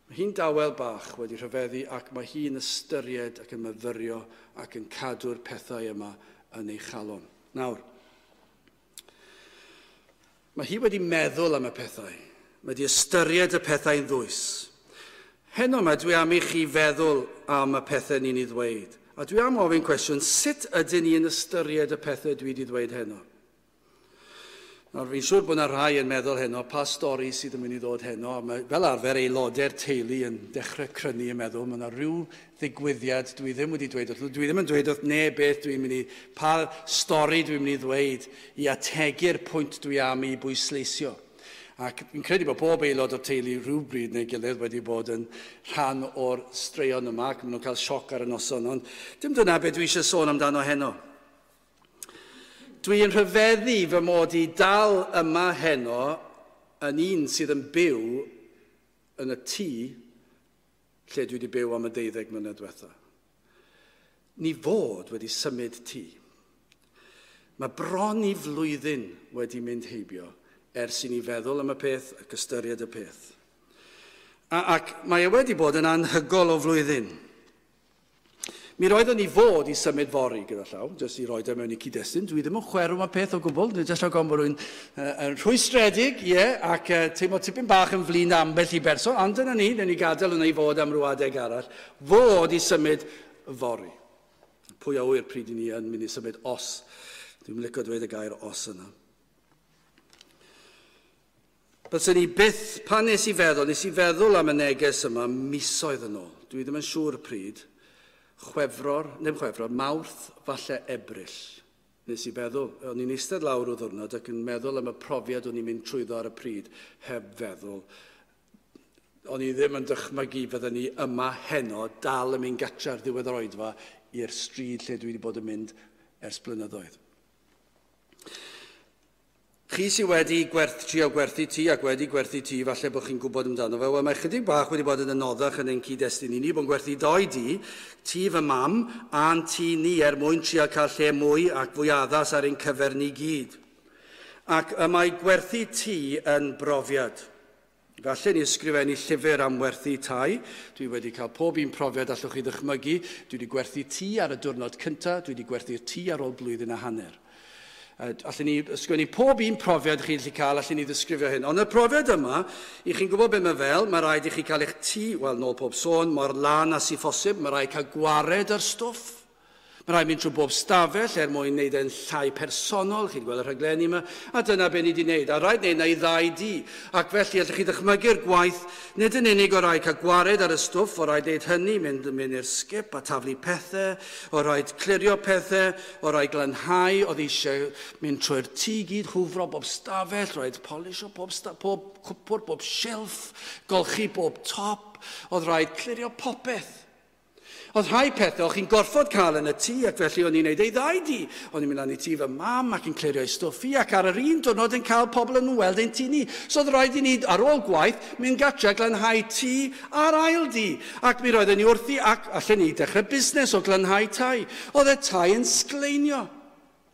Mae hi'n dawel bach wedi rhyfeddu, ac mae hi'n ystyried ac yn myfyrio ac yn cadw'r pethau yma yn ei chalon. Nawr, mae hi wedi meddwl am y pethau. Mae wedi ystyried y pethau'n ddwys. Heno yma, dwi am i chi feddwl am y pethau ni'n ei ddweud. A dwi am ofyn cwestiwn, sut ydyn ni'n ystyried y pethau dwi wedi ddweud heno? Nawr, fi'n siŵr bod yna rhai yn meddwl heno, pa stori sydd yn mynd i ddod heno. A mae, fel arfer, aelodau'r teulu yn dechrau crynu yn meddwl, mae yna rhyw ddigwyddiad dwi ddim wedi dweud wrth. Dwi ddim yn dweud wrth neb beth dwi'n mynd i, pa stori dwi'n mynd i ddweud i ategu'r pwynt dwi am i bwysleisio. Ac fi'n credu bod pob aelod o'r teulu rhywbryd neu gilydd wedi bod yn rhan o'r straeon yma, ac maen nhw'n cael sioc ar y noson, ond dim dyna beth dwi eisiau sôn amdano heno. Dwi'n rhyfeddu fy mod i dal yma heno yn un sydd yn byw yn y tŷ lle dwi wedi byw am y deuddeg mlynedd diwetha. Ni fod wedi symud tŷ. Mae bron i flwyddyn wedi mynd heibio ers i ni feddwl am y peth ac ystyried y peth. A, ac mae e wedi bod yn anhygoel o flwyddyn. Mi roeddwn ni fod i symud fory gyda llaw, jyst i roed e mewn i cyd-destun. Dwi ddim yn chwerw am y peth o gwbl, dwi'n jyst rhaid bod rwy'n uh, yn rhwystredig, ie, yeah, ac uh, teimlo tipyn bach yn flin ambell i berson, ond dyna ni, dyna ni gadael yna i fod am ryw adeg arall, fod i symud fory. Pwy a ŵyr pryd i ni yn mynd i symud os. Dwi'n licio dweud y gair os yna. Byswn ni byth, pan nes i feddwl, nes i feddwl am y neges yma misoedd yn ôl. Dwi ddim yn siŵr pryd. Chwefror, ddim Chwefror, Mawrth, falle Ebrill. Nes i feddwl, o'n i'n eistedd lawr o ddwrnod ac yn meddwl am y profiad o'n i'n mynd trwyddo ar y pryd, heb feddwl. O'n i ddim yn dychmygu fydden ni yma heno, dal yn mynd gatre ar ddiwedd yr oedfa i'r stryd lle dwi wedi bod yn mynd ers blynyddoedd. Chi sydd wedi gwerth, trio gwerthu tŷ ac wedi gwerthu tŷ, falle bod chi'n gwybod amdano fe. Wel, mae chydig bach wedi bod yn anoddach yn ein cyd-destun i ni, bod yn gwerthu doi dŷ, tŷ fy mam a'n tŷ ni er mwyn trio cael lle mwy ac fwy addas ar ein cyfer ni gyd. Ac y mae gwerthu tŷ yn brofiad. Falle ni ysgrifennu llyfr am werthu tai. Dwi wedi cael pob un profiad allwch chi ddychmygu. Dwi wedi gwerthu tŷ ar y diwrnod cyntaf, dwi wedi gwerthu'r tŷ ar ôl blwyddyn a hanner. Allen ni ysgrifennu pob un profiad chi'n gallu cael, allen ni ddisgrifio hyn. Ond y profiad yma, i chi'n gwybod beth mae fel, mae rhaid i chi cael eich tŷ, wel, nôl pob sôn, mor lân â sy'n phosib, mae rhaid cael gwared ar stwff. Mae rhaid mynd trwy bob stafell er mwyn wneud e'n llai personol, chi'n gweld y rhaglenni yma, a dyna be ni wedi wneud. A rhaid wneud na i ddau dŷ. Ac felly, allwch chi ddychmygu'r gwaith, nid yn unig o rhaid cael gwared ar y stwff, o rhaid wneud hynny, mynd, mynd i'r sgip a taflu pethau, o rhaid clirio pethau, o rhaid glanhau, oedd eisiau mynd trwy'r tŷ gyd, hwfro bob stafell, rhaid polisio pob, pob cwpwr, bob shelf, golchi bob top, oedd rhaid clirio popeth. Oedd rhai pethau o'ch chi'n gorfod cael yn y tŷ, ac felly o'n i'n neud ei ddau dŷ. O'n i'n mynd lan i tŷ fy mam ac yn clirio ei stwff i, ac ar yr un diwrnod yn cael pobl yn weld ein tŷ ni. So oedd rhaid i ni, ar ôl gwaith, mynd gatre glanhau tŷ a'r ail dŷ. Ac mi roedden ni wrthi, ac allan ni dechrau busnes o glanhau tai. Oedd y tai yn sgleinio.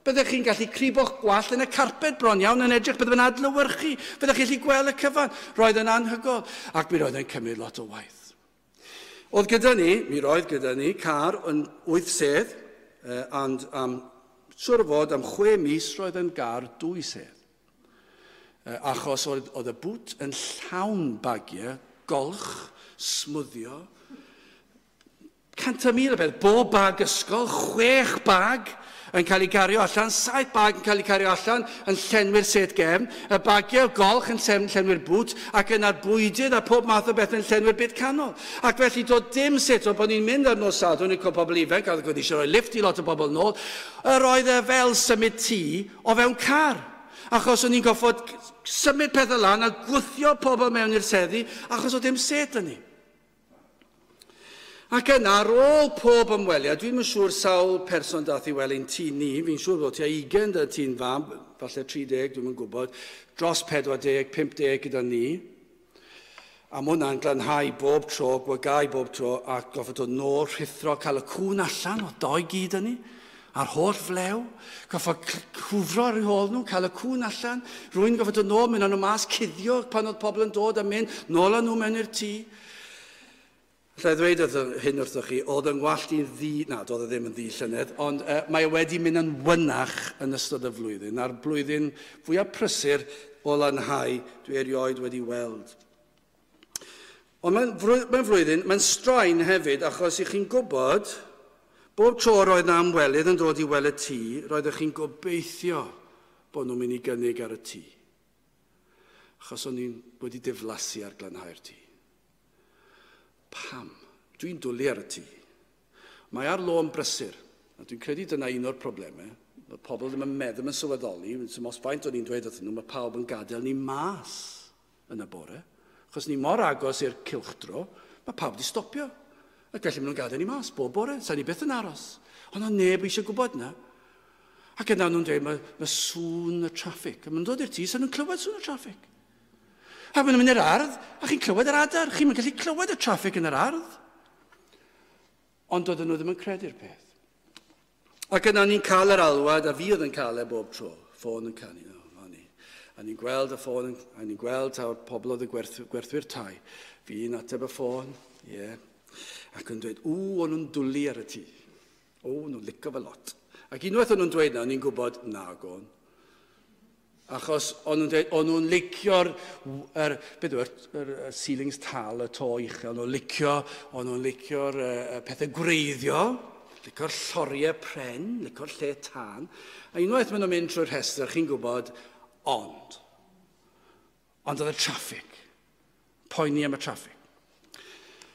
Byddech chi'n gallu cribo'ch gwallt yn y carped bron iawn yn edrych, byddech yn adlewyrchu, byddech chi'n gallu gweld y cyfan. Roedd yn anhygoel, ac mi roedd yn cymryd lot o waith. Oedd gyda ni, mi roedd gyda ni, car yn wyth sedd, eh, and am, siŵr o fod am chwe mis roedd yn gar dwy sedd. Eh, achos oedd, oedd y bŵt yn llawn bagiau, golch, smwddio, cant a mil o beth, bob bag ysgol, chwech bag yn cael ei gario allan, saith bag yn cael ei cario allan, yn llenwi'r set gefn, y bagiau golch yn llenwi'r bŵt, ac yna'r bwydydd a pob math o beth yn llenwi'r byd canol. Ac felly doedd dim sut o bod ni'n mynd ar nos Sadwrn i cwpl pobl ifanc, a oedd eisiau rhoi lift i lot o bobl nôl, yr oedd e fel symud tŷ o fewn car. Achos o'n i'n goffod symud pethau lan a gwthio pobl mewn i'r seddi, achos oedd dim set yn ni. Ac yna, ar ôl pob ymweliad, dwi'n yn siŵr sawl person dath i weld ein tŷ ni, fi'n siŵr bod tua ugain dy tŷ'n fam, falle tri deg, dwi'n yn gwybod, dros pedwar deg, pump deg gyda ni. A ma' hwnna'n glanhau bob tro, gwagau bob tro, a goffod dod nôl, rhuthro, cael y cŵn allan o doi gyd yn ni, a'r holl flew, goffod cwfro ar eu hôl nhw, cael y cŵn allan, rwy'n goffod dod nôl, mynd â nhw mas, cuddio pan oedd pobl yn dod a mynd, nôl â nhw mewn i'r tŷ. Alla i ddweud wrth hyn wrthoch chi, oedd yng ngwallt i'n ddu, na, doedd e ddim yn ddu llynedd, ond uh, mae e wedi mynd yn wynach yn ystod y flwyddyn, a'r blwyddyn fwyaf prysur o lanhau dwi erioed wedi weld. Ond mae'n mae flwyddyn, mae'n straen hefyd, achos i chi'n gwybod, bob tro roedd na ymwelydd yn dod i weld y tŷ, roeddech chi'n gobeithio bod nhw'n mynd i gynnig ar y tŷ. Achos o'n i'n wedi diflasu ar glanhau'r tŷ. Pam? Dwi'n dwlu ar y tŷ. Mae ar lôn brysur, a dwi'n credu dyna un o'r problemau. Mae pobl ddim yn meddwl yn sylweddoli, os faint o'n i'n dweud wrthyn nhw, mae pawb yn gadael ni mas. yn y bore. Achos ni mor agos i'r cylchdro, mae pawb wedi stopio. Ac felly maen nhw'n gadael ni mas bob bore, sa'n ni byth yn aros. Ond oedd neb eisiau gwybod na. Ac yna nhw'n dweud, mae, mae sŵn y traffig. A maen nhw'n dod i'r tŷ, sa'n nhw'n clywed sŵn y traffig. A maen nhw'n mynd i'r ardd, a chi'n clywed yr adar. Chi'n gallu clywed y traffig yn yr ardd. Ond doedden nhw ddim yn credu'r peth. Ac yna ni'n cael yr alwad, a fi oedd yn cael e bob tro, ffôn yn canu. No, ni. A ni'n gweld y ffôn, a ni'n gweld taw'r pobl oedd y gwerth, gwerthwyr tai. Fi'n ateb y ffôn, ie. Yeah. Ac yn dweud, ww, o'n nhw'n dwlu ar y tŷ. O, nhw'n licio fe lot. Ac unwaith o'n nhw'n dweud na, o'n i'n gwybod, na, gôn. Achos o'n nhw'n dweud, o'n nhw'n licio'r, er, beth yw, yr, yr ceilings tal, y to uchel, o'n nhw'n licio, o'n nhw'n licio'r uh, pethau gwreiddio, licio'r lloriau pren, licio'r lle tân. A unwaith maen nhw'n mynd trwy'r rhestr, chi'n gwybod, ond. Ond oedd y traffig. Poeni am y traffig.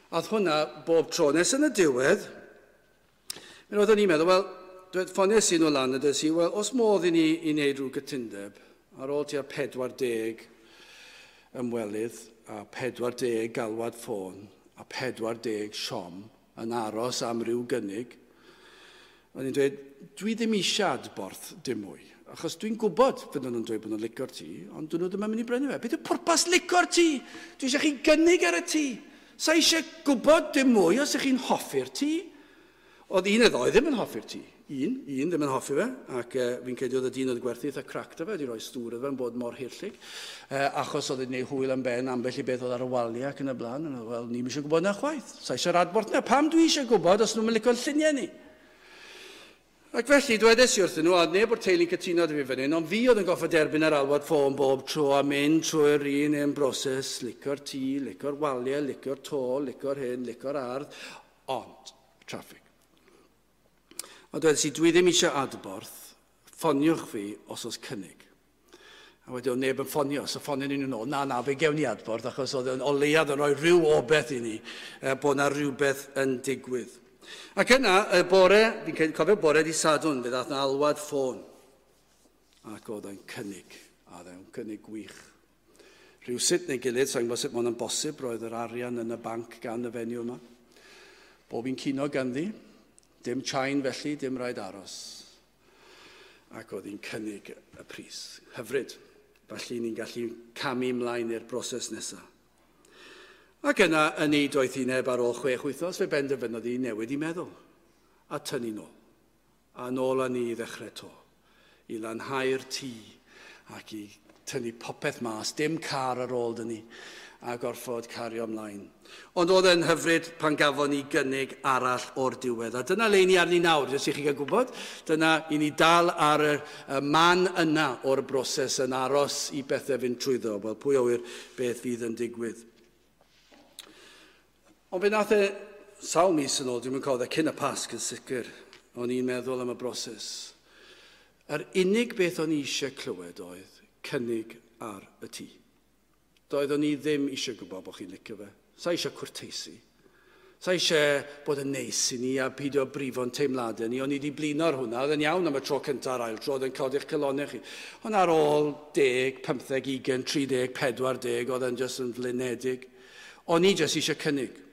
A oedd hwnna bob tro. Nes yn y diwedd, mi roeddwn i'n meddwl, wel, dweud ffoniais i nhw lan a dweud i, wel, os modd i ni i wneud rhyw gytundeb, ar ôl tua pedwar deg ymwelydd a pedwar deg galwad ffôn a pedwar deg siom yn aros am ryw gynnig, o'n i'n dweud, dwi ddim eisiau adborth dim mwy, achos dwi'n gwybod fydden nhw'n dweud bod nhw'n licio'r tŷ, ond dyn nhw ddim yn mynd i brynu fe. Beth yw pwrpas licio'r tŷ? Dwi eisiau chi gynnig ar y tŷ. Sa eisiau gwybod dim mwy os ych chi'n hoffi'r tŷ. Oedd un neu ddau ddim yn hoffi'r tŷ. Un, un ddim yn hoffi fe, ac uh, fi'n credu oedd y dyn oedd gwerthu eitha crac da fe, wedi rhoi stŵr iddo fe yn bod mor hirllig, uh, achos oedd e'n gwneud hwyl am ben ambell i beth oedd ar y waliau ac yn y blaen, a wel, ni'm eisiau gwybod na chwaith. Sa eisiau'r adborth na, pam dwi eisiau gwybod os nhw'n licio'n lluniau ni? Ac felly, dwedes i wrthyn nhw, a neb o'r teulu'n cytuno dy fi fan hyn, ond fi oedd yn goffo derbyn yr alwad ffôn bob tro a mynd trwy'r un un broses, licio'r tŷ, licio'r waliau, licio'r to, licio'r hyn, licio'r ardd, ond traffig. A dwedes i, dwi ddim eisiau adborth, ffoniwch fi os oes cynnig. A wedyn oedd neb yn ffonio, so ffonio ni nhw'n ôl, na, na, fe gewn ni adborth, achos oedd yn o leiaf yn rhoi rhyw obaith i ni, bod na rhywbeth yn digwydd. Ac yna, y bore, fi'n cofio bore di Sadwrn, fe ddaeth na alwad ffôn. Ac oedd e'n cynnig, a oedd e'n cynnig gwych. Rhywsut neu gilydd, sa'n gwybod sut mae hwnna'n bosib, roedd yr arian yn y banc gan y fenyw yma. Bob un cino ganddi, dim chain felly, dim rhaid aros. Ac oedd hi'n cynnig y pris. Hyfryd. Felly ni'n gallu camu ymlaen i'r broses nesaf. Ac yna, yn ei doethineb ar ôl chwech wythnos, fe benderfynodd hi newid i meddwl. A tynnu nôl. A nôl â ni i ddechrau to. I lanhau'r tŷ ac i tynnu popeth mas, dim car ar ôl dyn ni, a gorfod cario ymlaen. Ond oedd e'n hyfryd pan gafon ni gynnig arall o'r diwedd. A dyna le ni arni nawr, jyst i chi gael gwybod. Dyna i ni dal ar y, y man yna o'r broses yn aros i bethau fynd trwyddo. Wel, pwy a ŵyr beth fydd yn digwydd. Ond fe nath e sawl mis yn ôl, dwi'n mynd cofio, cyn y Pasg yn sicr, o'n i'n meddwl am y broses. Yr unig beth o'n i eisiau clywed oedd cynnig ar y tŷ. Doeddwn i ddim eisiau gwybod bod chi'n licio fe. Sa eisiau cwrteisi. Sa eisiau bod yn neis i ni a peidio brifo'n teimladau ni. O'n i wedi blino ar hwnna. Oedd yn iawn am y tro cyntaf a'r ail tro, oedd yn codi'ch calonnau chi. Ond ar ôl deg, pymtheg, ugain, tri deg, pedwar deg, oedd yn jyst yn flinedig. O'n i jyst eisiau cynnig.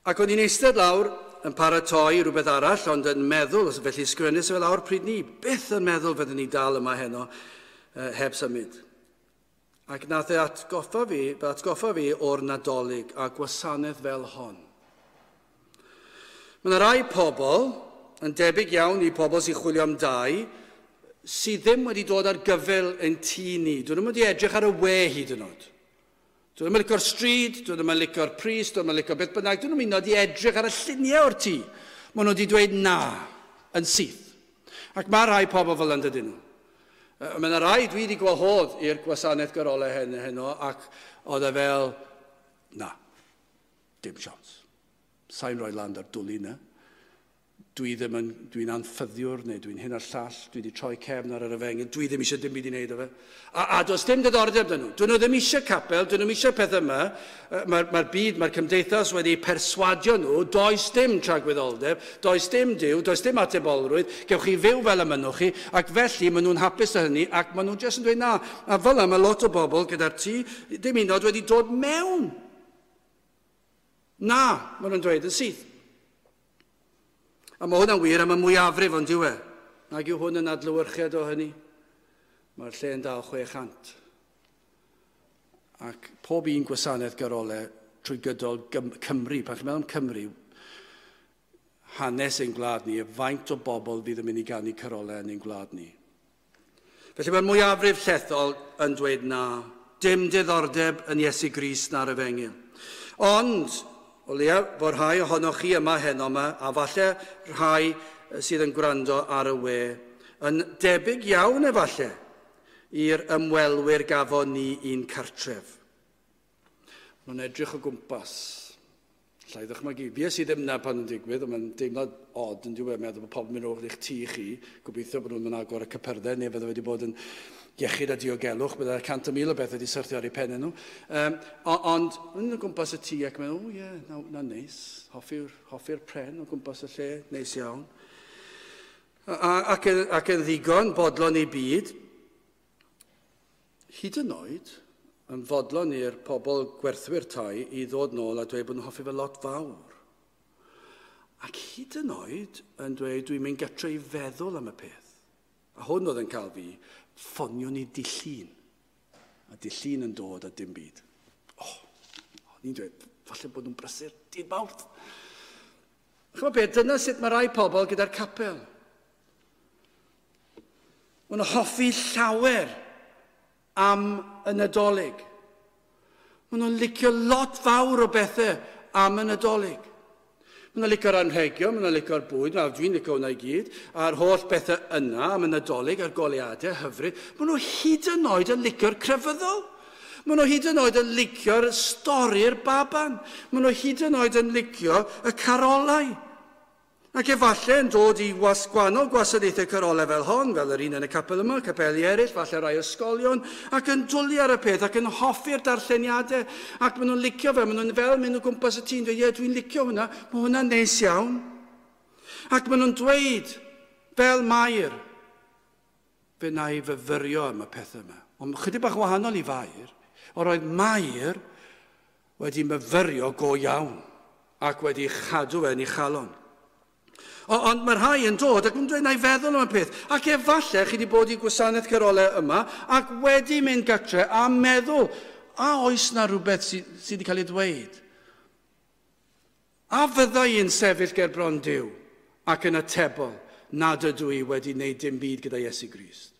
Ac o'n i'n eistedd lawr yn paratoi rhywbeth arall, ond yn meddwl, felly sgrennu fe lawr pryd ni, byth yn meddwl fyddwn ni dal yma heno eh, heb symud. Ac nath e atgoffa fi, atgoffa fi o'r Nadolig a gwasanaeth fel hon. Mae yna rai pobl, yn debyg iawn i pobl sy'n chwilio am dai, sydd ddim wedi dod ar gyfyl yn tŷ ni. Dyn nhw'n wedi edrych ar y we hyd yn oed. Dyn nhw'n licio'r stryd, dyn nhw'n licio'r pris, dyn nhw'n licio beth bynnag, dyn nhw'n mynd i edrych ar y lluniau o'r tŷ. Maen nhw wedi dweud na, yn syth. Ac mae rhai pobl fel yna dydyn nhw. Mae yna rai dwi wedi gwahodd i'r gwasanaeth garolau hyn heno, ac oedd e fel, na, dim siawns. Sa'n rhoi lan ar dwlu na. Dwi ddim yn, dwi'n anffyddiwr neu dwi'n hyn a'r llall, dwi wedi troi cefn ar yr efengyl, dwi ddim eisiau dim byd i wneud o fe. A, a does dim diddordeb dyn nhw. Dyn nhw ddim eisiau capel, dyn nhw ddim eisiau pethau yma. Mae'r mae byd, mae'r cymdeithas wedi perswadio nhw, does dim tragwyddoldeb, does dim Duw, does dim atebolrwydd, gewch chi fyw fel y mynnwch chi, ac felly maen nhw'n hapus â hynny, ac maen nhw jyst yn dweud na. A fel yma, mae lot o bobl gyda'r tŷ, dim un wedi dod mewn. Na, maen nhw'n dweud yn syth. A mae hwnna'n wir am y mwyafrif ond yw e. Nag yw hwn yn adlewyrchiad o hynny. Mae'r lle yn dal chwe chant. Ac pob un gwasanaeth garolau trwy gydol Cymru, pan chi'n meddwl am Cymru, hanes ein gwlad ni, y faint o bobl fydd yn mynd i ganu carolau yn ein gwlad ni. Felly mae'r mwyafrif llethol yn dweud na, dim diddordeb yn Iesu Grist na'r efengyl. Ond, o leia fod rhai ohonoch chi yma heno yma, a falle rhai sydd yn gwrando ar y we, yn debyg iawn efallai i'r ymwelwyr gafon ni i'n cartref. Mae'n edrych o gwmpas. Alla i ddychmygu. Fues i ddim na pan yn digwydd, ond mae'n deimlad od yn diwedd, meddwl bod pobl yn mynd o'r eich tŷ chi, gobeithio bod nhw'n mynd agor y cypyrddau, neu fydde wedi bod yn iechyd a diogelwch, bydde cant o mil o beth wedi syrthio ar eu pennau nhw. Um, ond yn o gwmpas y tŷ ac meddwl, o ie, yeah, na, na neis, hoffi'r hoffi pren o gwmpas y lle, neis iawn. A, ac, yn, ac yn ddigon bodlon i byd, hyd yn oed, yn fodlon i'r pobl gwerthwyr tai i ddod nôl a dweud bod nhw'n hoffi fe lot fawr. Ac hyd yn oed yn dweud dwi'n mynd gatre i feddwl am y peth. A hwn oedd yn cael fi, ffonio ni dydd Llun. A dydd Llun yn dod a dim byd. O, oh, ni'n dweud, falle bod nhw'n brysur dydd Mawrth. Ch'mod beth, dyna sut mae rai pobl gyda'r capel. Maen nhw'n hoffi llawer am y Nadolig. Maen nhw'n licio lot fawr o bethau am y Nadolig. Maen nhw'n licio'r anrhegion, maen nhw'n licio'r bwyd, dwi'n licio hwnna i gyd, a'r holl bethau yna am y Nadolig, a'r goleuadau hyfryd. Maen nhw hyd yn oed yn licio'r crefyddol. Maen nhw hyd yn oed yn licio'r stori'r baban. Maen nhw hyd yn oed yn licio y carolau. Ac efallai yn dod i was, gwahanol gwasanaethau carolau fel hon, fel yr un yn y capel yma, capeli eraill, falle rai ysgolion, ac yn dwlu ar y peth, ac yn hoffi'r darlleniadau, ac maen nhw'n licio fe, maen nhw'n fel mynd o gwmpas y tŷ'n dweud, ie, dwi'n licio hwnna, mae hwnna'n neis iawn. Ac maen nhw'n dweud, fel Mair, fe na i fyfyrio am y pethau yma. Ond chydig bach wahanol i Fair, o'r oedd Mair wedi myfyrio go iawn, ac wedi chadw fe yn ei chalon. Ond mae rhai yn dod ac yn dweud na i feddwl am y peth. Ac efallai chi wedi bod i gwasanaeth carolau yma ac wedi mynd gatre a meddwl, a oes na rhywbeth sydd sy wedi cael ei ddweud? A fydda i'n sefyll ger bron Duw ac yn atebol nad ydw i wedi wneud dim byd gyda Iesu Grist?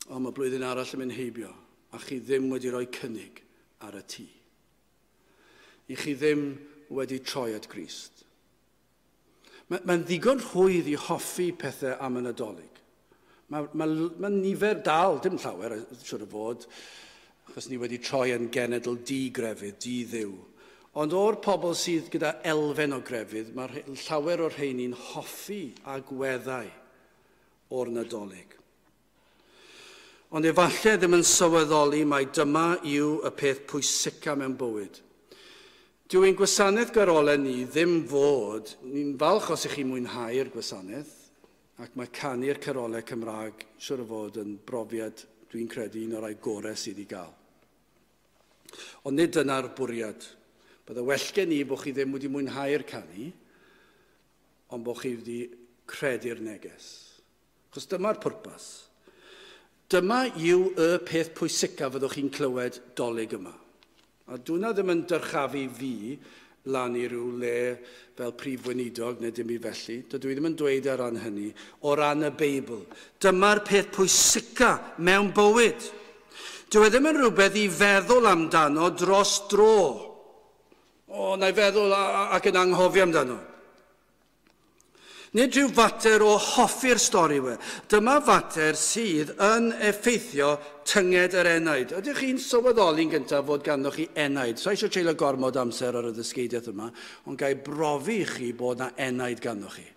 Ond mae blwyddyn arall yn mynd heibio a chi ddim wedi rhoi cynnig ar y tŷ. I chi ddim wedi troi at Grist. Mae'n mae ddigon rhwydd i hoffi pethau am y Nadolig. Mae, mae, mae nifer dal, dim llawer, siwr o fod, achos ni wedi troi yn genedl di-grefydd, di-ddiw. Ond o'r pobl sydd gyda elfen o grefydd, mae llawer o'r rheini'n hoffi agweddau o'r Nadolig. Ond efallai ddim yn sylweddoli mai dyma yw y peth pwysica mewn bywyd. Dyw ein gwasanaeth garolau ni ddim fod, ni'n falch os ych chi'n mwynhau'r gwasanaeth, ac mae canu'r carolau Cymraeg siwr o fod yn brofiad, dwi'n credu, un o'r rhai gorau sydd i gael. Ond nid dyna'r bwriad. Bydde well gen i bod chi ddim wedi mwynhau'r canu, ond bod chi wedi credu'r neges. Achos dyma'r pwrpas. Dyma yw y peth pwysica fyddwch chi'n clywed Dolig yma. A dwna ddim yn dyrchafu fi lan i ryw le fel prif weinidog neu dim byd felly. Dydw i ddim yn dweud ar ran hynny, o ran y Beibl. Dyma'r peth pwysica mewn bywyd. Dyw e ddim yn rhywbeth i feddwl amdano dros dro. O, na i feddwl ac yn anghofio amdano. Nid rhyw fater o hoffi'r stori we. Dyma fater sydd yn effeithio tynged yr enaid. Ydych chi'n sylweddoli'n gyntaf fod ganddoch chi enaid? So eisiau treulio gormod amser ar y ddysgeidiaeth yma, ond ga i brofi i chi bod na enaid ganddoch chi.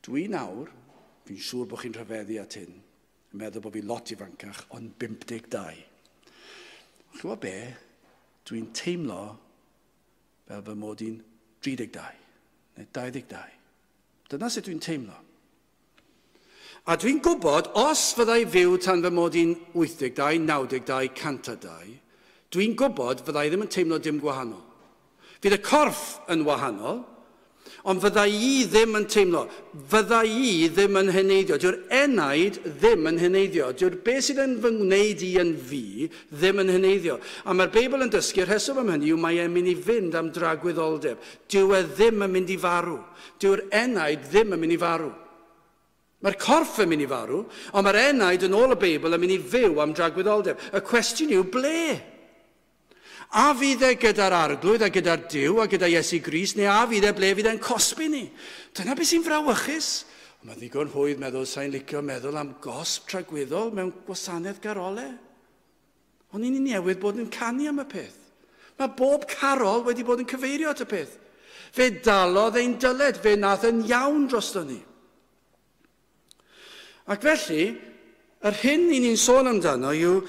Dwi nawr, fi'n siŵr bod chi'n rhyfeddu at hyn, yn meddwl bod fi lot ifancach, ond bump deg dau. Chi'n gwybod be? Dwi'n teimlo fel fy mod i'n tri deg dau, neu dau ddeg dau. Dyna sut dwi'n teimlo. A dwi'n gwybod, os fyddai fyw tan fy mod i'n wyth deg dau, naw deg dau, cant a dau, dwi'n gwybod fyddai ddim yn teimlo dim gwahanol. Fydd y corff yn wahanol, ond fyddai i ddim yn teimlo, fyddai i ddim yn heneiddio. Dyw'r enaid ddim yn heneiddio. Dyw'r beth sydd yn fy ngwneud i yn fi ddim yn heneiddio. A mae'r Beibl yn dysgu'r rheswm am hynny yw mae e'n mynd i fynd am dragwyddoldeb. Dyw e ddim yn mynd i farw. Dyw'r enaid ddim yn mynd i farw. Mae'r corff yn mynd i farw, ond mae'r enaid yn ôl y Beibl yn mynd i fyw am dragwyddoldeb. Y cwestiwn yw ble? A fydd e gyda'r Arglwydd a gyda'r Duw a gyda Iesu Grist, neu a fydd e ble fydd e'n cosbi ni? Dyna beth sy'n frawychus. Mae ddigon rhwydd meddwl, sa'n licio meddwl am gosb tragwyddol mewn gwasanaeth garole. Ond ni'n newydd bod yn canu am y peth. Mae bob carol wedi bod yn cyfeirio at y peth. Fe dalodd ein dyled, fe nath yn iawn drosto ni. Ac felly, yr hyn ni'n sôn amdano yw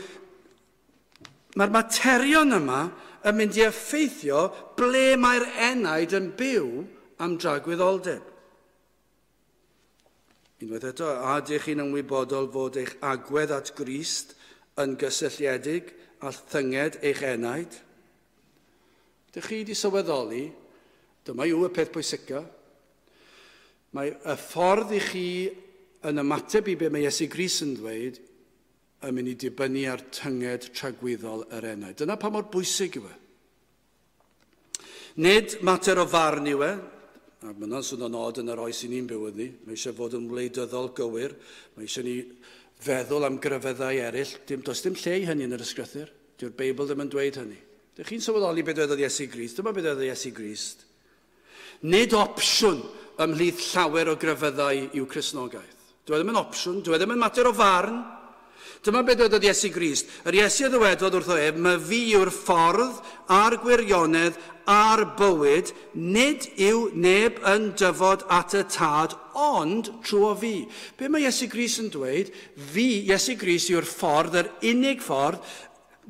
mae'r materion yma yn mynd i effeithio ble mae'r enaid yn byw am dragwyddoldeb. Unwaith eto, a ydych chi'n ymwybodol fod eich agwedd at Grist yn gysylltiedig â thynged eich enaid? Ydych chi wedi sylweddoli, dyma yw y peth pwysica, mae y ffordd i chi yn ymateb i be mae Iesu Grist yn dweud yn mynd i dibynnu ar tynged tragwyddol yr enaid. Dyna pa mor bwysig yw e. Nid mater o farn yw e, a mae hwnna'n swnio'n od yn yr oes i ni'n byw ynddi, mae eisiau fod yn wleidyddol gywir, mae eisiau ni feddwl am grefyddau eraill, dim, does dim lle i hynny yn yr ysgrythur, dyw'r Beibl ddim yn dweud hynny. Dych chi'n sylweddoli beth dwedodd Iesu Grist? Dyma beth dwedodd Iesu Grist. Nid opsiwn ymhlith llawer o grefyddau yw Cristnogaeth. Dyw e ddim yn opsiwn, dyw e ddim yn mater o farn. Dyma beth dwedodd Iesu Grist. Yr Iesu a ddywedodd wrtho ef, "My fi yw'r ffordd a'r gwirionedd a'r bywyd, nid yw neb yn dyfod at y tad, ond trwy fi." Be mae Iesu Grist yn dweud? Fi, Iesu Grist, yw'r ffordd, yr unig ffordd,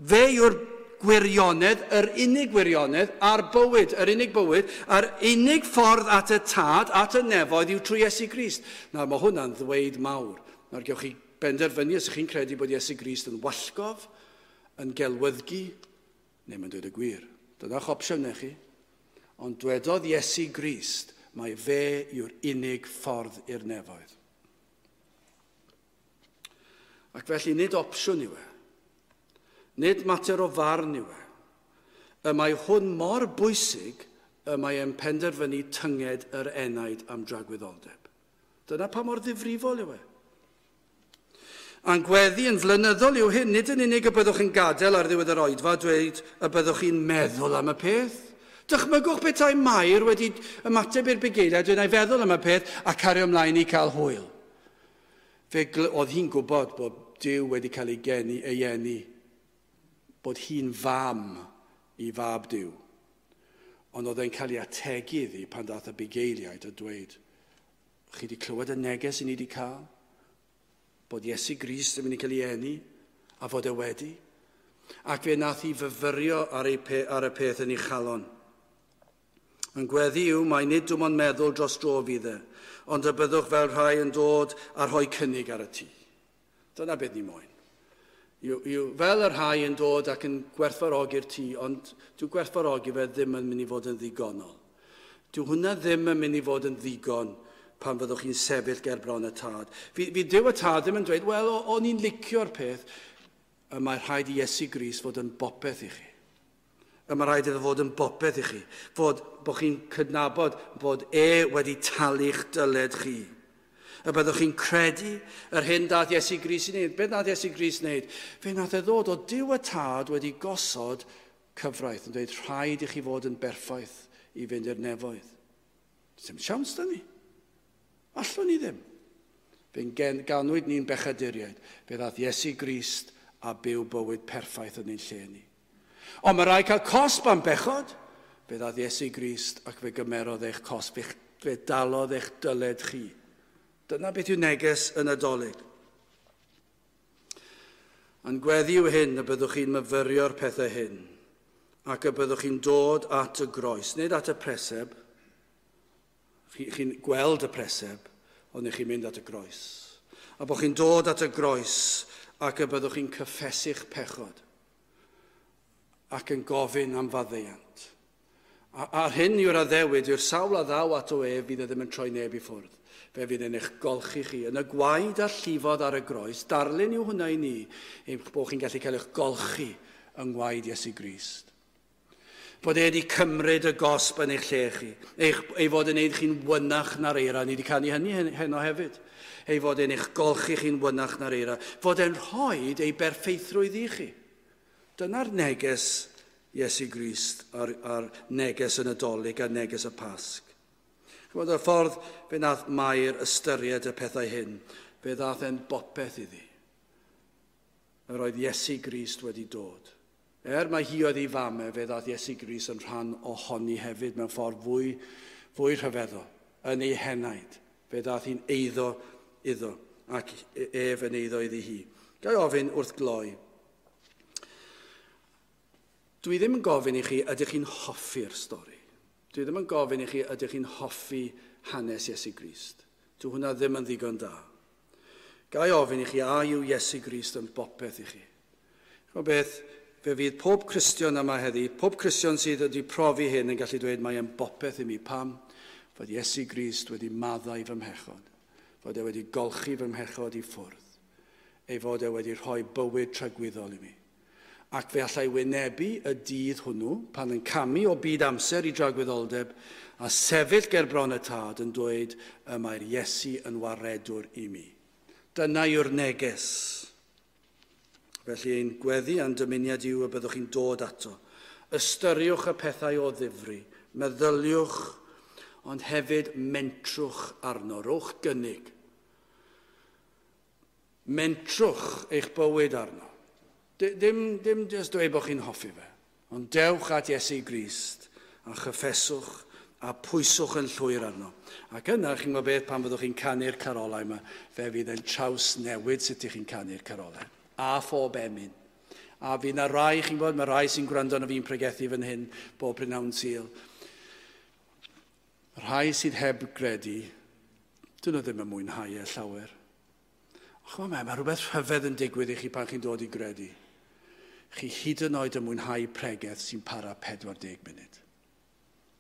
fe yw'r gwirionedd, yr unig gwirionedd, a'r bywyd, yr unig bywyd, a'r unig ffordd at y tad, at y nefoedd yw trwy Iesu Grist. Nawr, mae hwnna'n ddweud mawr. Nawr, gewch chi benderfynu os ydych chi'n credu bod Iesu Grist yn wallgof, yn gelwyddgi, neu mae'n dweud y gwir. Dyna'ch opsiwn neu chi. Ond dwedodd Iesu Grist, mae fe yw'r unig ffordd i'r nefoedd. Ac felly nid opsiwn yw e. Nid mater o farn yw e. Y mae hwn mor bwysig y mae e'n penderfynu tynged yr enaid am dragwyddoldeb. Dyna pa mor ddifrifol yw e. A'n gweddi yn flynyddol yw hyn, nid yn unig y byddwch yn gadael ar ddiwedd yr oedfa, dweud y byddwch chi'n meddwl am y peth. Dychmygwch petai Mair wedi ymateb i'r bugeiliaid, dweud, "Na i feddwl am y peth a cario ymlaen i cael hwyl." Fe oedd hi'n gwybod bod Duw wedi cael ei geni, ei eni, bod hi'n fam i fab Duw. Ond oedd e'n cael ei ategu iddi pan dath y bugeiliaid a dweud, "Chi wedi clywed y neges i ni wedi cael? Bod Iesu Grist yn mynd i cael ei eni, a fod e wedi." Ac fe nath hi fyfyrio ar, ei pe, ar y peth yn ei chalon. Yn gweddi yw, mae nid dim ond meddwl dros dro fydd e, ond y byddwch fel rhai yn dod a rhoi cynnig ar y tŷ. Dyna beth ni moyn. Yw, yw, fel y rhai yn dod ac yn gwerthfawrogi'r tŷ, ond dyw gwerthfawrogi fe ddim yn mynd i fod yn ddigonol. Dyw hwnna ddim yn mynd i fod yn ddigon pan fyddwch chi'n sefyll ger bron y tad. Fi, fi Duw y tad ddim yn dweud, wel, o'n i'n licio'r peth. Y mae rhaid i Iesu Grist fod yn bopeth i chi. Y mae rhaid iddo fod yn bopeth i chi. Fod bod chi'n cydnabod bod e wedi talu'ch dyled chi. Y byddwch chi'n credu yr hyn dath Iesu Grist i wneud. Beth nath Iesu Grist wneud? Fe nath e ddod o Duw y tad wedi gosod cyfraith yn dweud rhaid i chi fod yn berffaith i fynd i'r nefoedd. Dim siawns da ni. Allwn ni ddim. Fe'n ganwyd ni'n bechaduriaid. Fe ddaeth Iesu Grist a byw bywyd perffaith yn ein lle ni. Ond mae rhaid cael cosb am bechod. Fe ddaeth Iesu Grist ac fe gymerodd eich cosb, fe, fe dalodd eich dyled chi. Dyna beth yw neges y Nadolig. A'n gweddi yw hyn y byddwch chi'n myfyrio'r pethau hyn, ac y byddwch chi'n dod at y groes, nid at y preseb. Chi'n chi gweld y preseb, ond chi'n mynd at y groes. A bod chi'n dod at y groes ac y byddwch chi'n cyffesu'ch pechod ac yn gofyn am faddeuant. A'r hyn yw'r addewid, yw'r sawl a ddaw ato ef fydd e ddim yn troi neb i ffwrdd. Fe fydd yn eich golchi chi. Yn y gwaed a llifodd ar y groes, darlun yw hwnna i ni, eich bod chi'n gallu cael eich golchi yng ngwaed Iesu Grist. Bod e wedi cymryd y gosb yn eich lle chi. Eich, ei fod yn eich chi'n wynach na'r eira. Ni wedi canu hynny heno hefyd. Ei fod e'n eich golchi chi'n wynach na'r eira. Fod e'n rhoi ei berffeithrwydd i chi. Dyna'r neges Iesu Grist a'r, a'r neges y Nadolig a neges y Pasg. Chymod, y ffordd fe nath Mair ystyried y pethau hyn, fe ddath e'n bopeth iddi. Yr oedd Iesu Grist wedi dod. Er mae hi oedd ei fam e, fe ddath Iesu Grist yn rhan ohoni hefyd mewn ffordd fwy, fwy rhyfeddol, yn ei henaid. Fe ddath hi'n eiddo iddo, ac ef yn eiddo iddi hi. Ga i ofyn wrth gloi, dwi ddim yn gofyn i chi ydych chi'n hoffi'r stori. Dwi ddim yn gofyn i chi ydych chi'n hoffi hanes Iesu Grist. Dwi hwnna ddim yn ddigon da. Ga i ofyn i chi a yw Iesu Grist yn bopeth i chi. Ch'mod beth, fe fydd pob Cristion yma heddi, pob Cristion sydd wedi profi hyn yn gallu dweud mae e'n bopeth i mi. Pam? Fod Iesu Grist wedi maddau fy mhechod. Fod e wedi golchi fy mhechod i ffwrdd. Ei fod e wedi rhoi bywyd tragwyddol i mi. Ac fe allai wynebu y dydd hwnnw, pan yn camu o byd amser i dragwyddoldeb, a sefyll ger bron y tad yn dweud y mae'r Iesu yn waredwr i mi. Dyna yw'r neges. Felly ein gweddi a'n dymuniad yw y byddwch chi'n dod ato. Ystyriwch y pethau o ddifri, meddyliwch, ond hefyd mentrwch arno, rhowch gynnig. Mentrwch eich bywyd arno. Dim, dim jyst dweud bod chi'n hoffi fe, ond dewch at Iesu Grist a chyffeswch a pwyswch yn llwyr arno. Ac yna, chi'n gwybod beth, pan fyddwch chi'n canu'r carolau yma, fe fydd yn trawsnewid sut ych chi'n canu'r carolau. A phob emyn. A fydd na rai, chi'n gwybod, mae rai sy'n gwrando arno fi'n pregethu fan hyn bob prynhawn Sul. Rhai sydd heb gredu, dyn nhw ddim yn mwynhau e llawer. Ch'mod, mae, mae rhywbeth rhyfedd yn digwydd i chi pan chi'n dod i gredu. Chi hyd yn oed yn mwynhau pregeth sy'n para pedwar deg munud.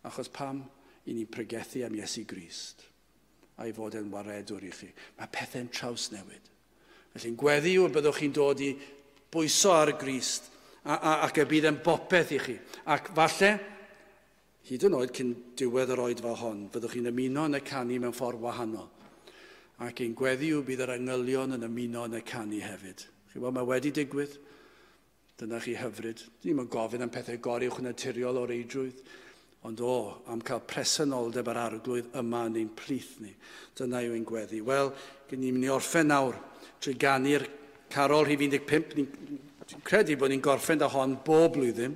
Achos pam i ni'n pregethu am Iesu Grist a'i fod e'n waredwr i chi. Mae pethau'n trawsnewid. Felly'n gweddi yw y byddwch chi'n dod i bwyso ar Grist a, a, ac y bydd yn bopeth i chi. Ac falle, hyd yn oed cyn diwedd yr oedfa hon, fyddwch chi'n ymuno yn y canu mewn ffordd wahanol. Ac ein gweddi yw bydd yr angylion yn ymuno yn y canu hefyd. Chi'n gwybod, mae wedi digwydd. Dyna chi hyfryd. Ni'm yn gofyn am pethau goruwch naturiol o reidrwydd, ond o, am cael presenoldeb yr arglwydd yma yn ein plith ni. Dyna yw ein gweddi. Wel, gen ni'n mynd i orffen nawr trwy ganu'r carol rhif un deg pump. Ni'n credu bod ni'n gorffen da hon bob blwyddyn.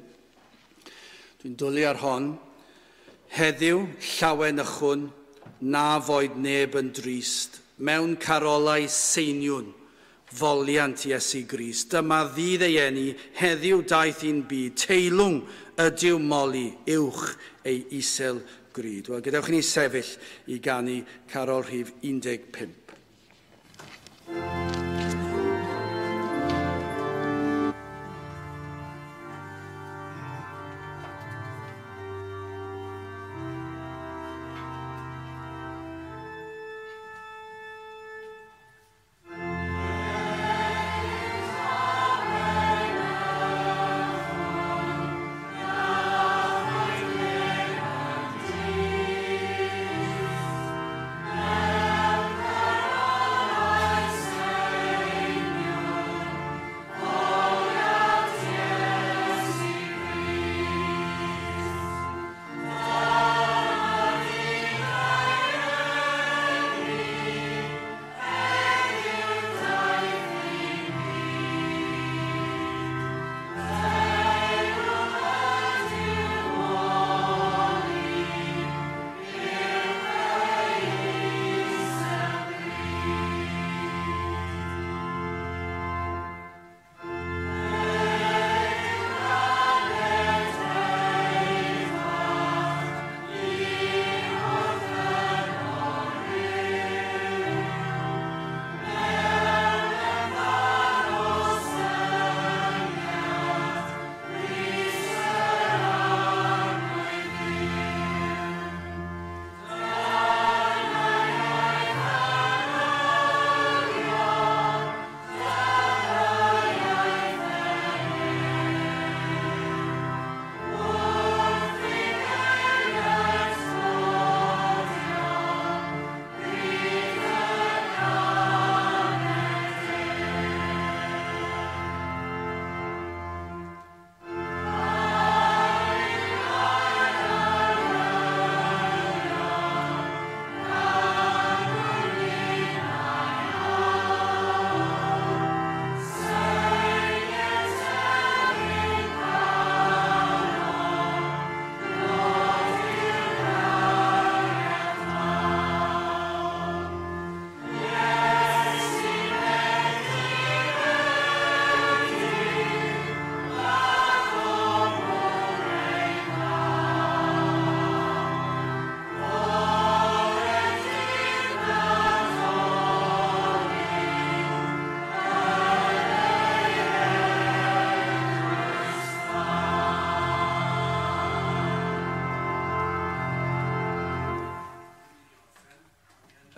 Dwi'n dwlu ar hon. Heddiw, llawen ychwn, na foed neb yn drist, mewn carolau seiniwn, foliant Iesu Grist. Dyma ddydd ei eni, heddiw daeth i'n byd, teilwng ydyw moli uwch ei isel gryd. Wel, gadewch i ni sefyll i ganu carol rhif un deg pump. Now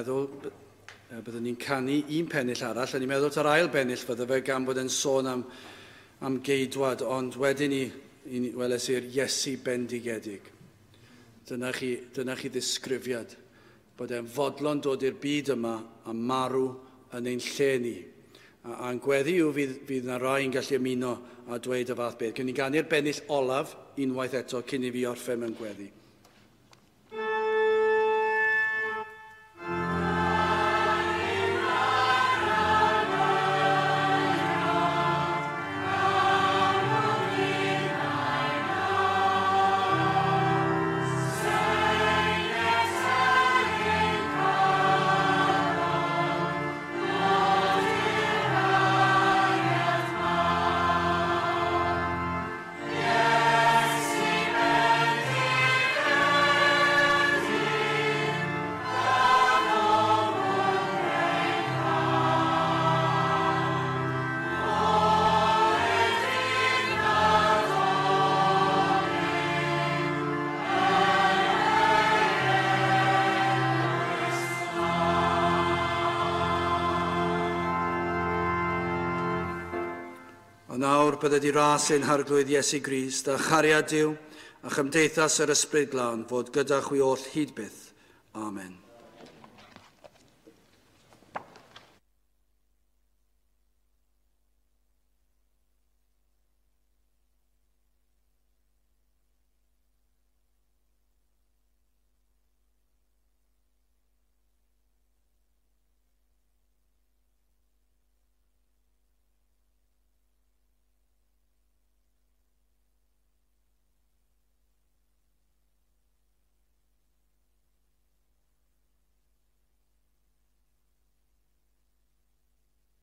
Meddwl, byddwn ni'n canu un pennill arall, a ni'n meddwl ta'r ail bennill fydde fe gan bod e'n sôn am, am geidwad, ond wedyn ni, ni weles i'r Iesu bendigedig. Dyna chi, dyna chi ddisgrifiad, bod e'n fodlon dod i'r byd yma a marw yn ein lle ni. A, a'n gweddi yw fydd, fydd na rai yn gallu ymuno a dweud y fath beth. Cyn ni ganu'r bennill olaf unwaith eto cyn i fi orffen mewn gweddi. A nawr bydde di ras ein harglwydd Iesu Grist a chariad Duw a chymdeithas yr Ysbryd Glân fod gyda chwi oll hyd byth. Amen.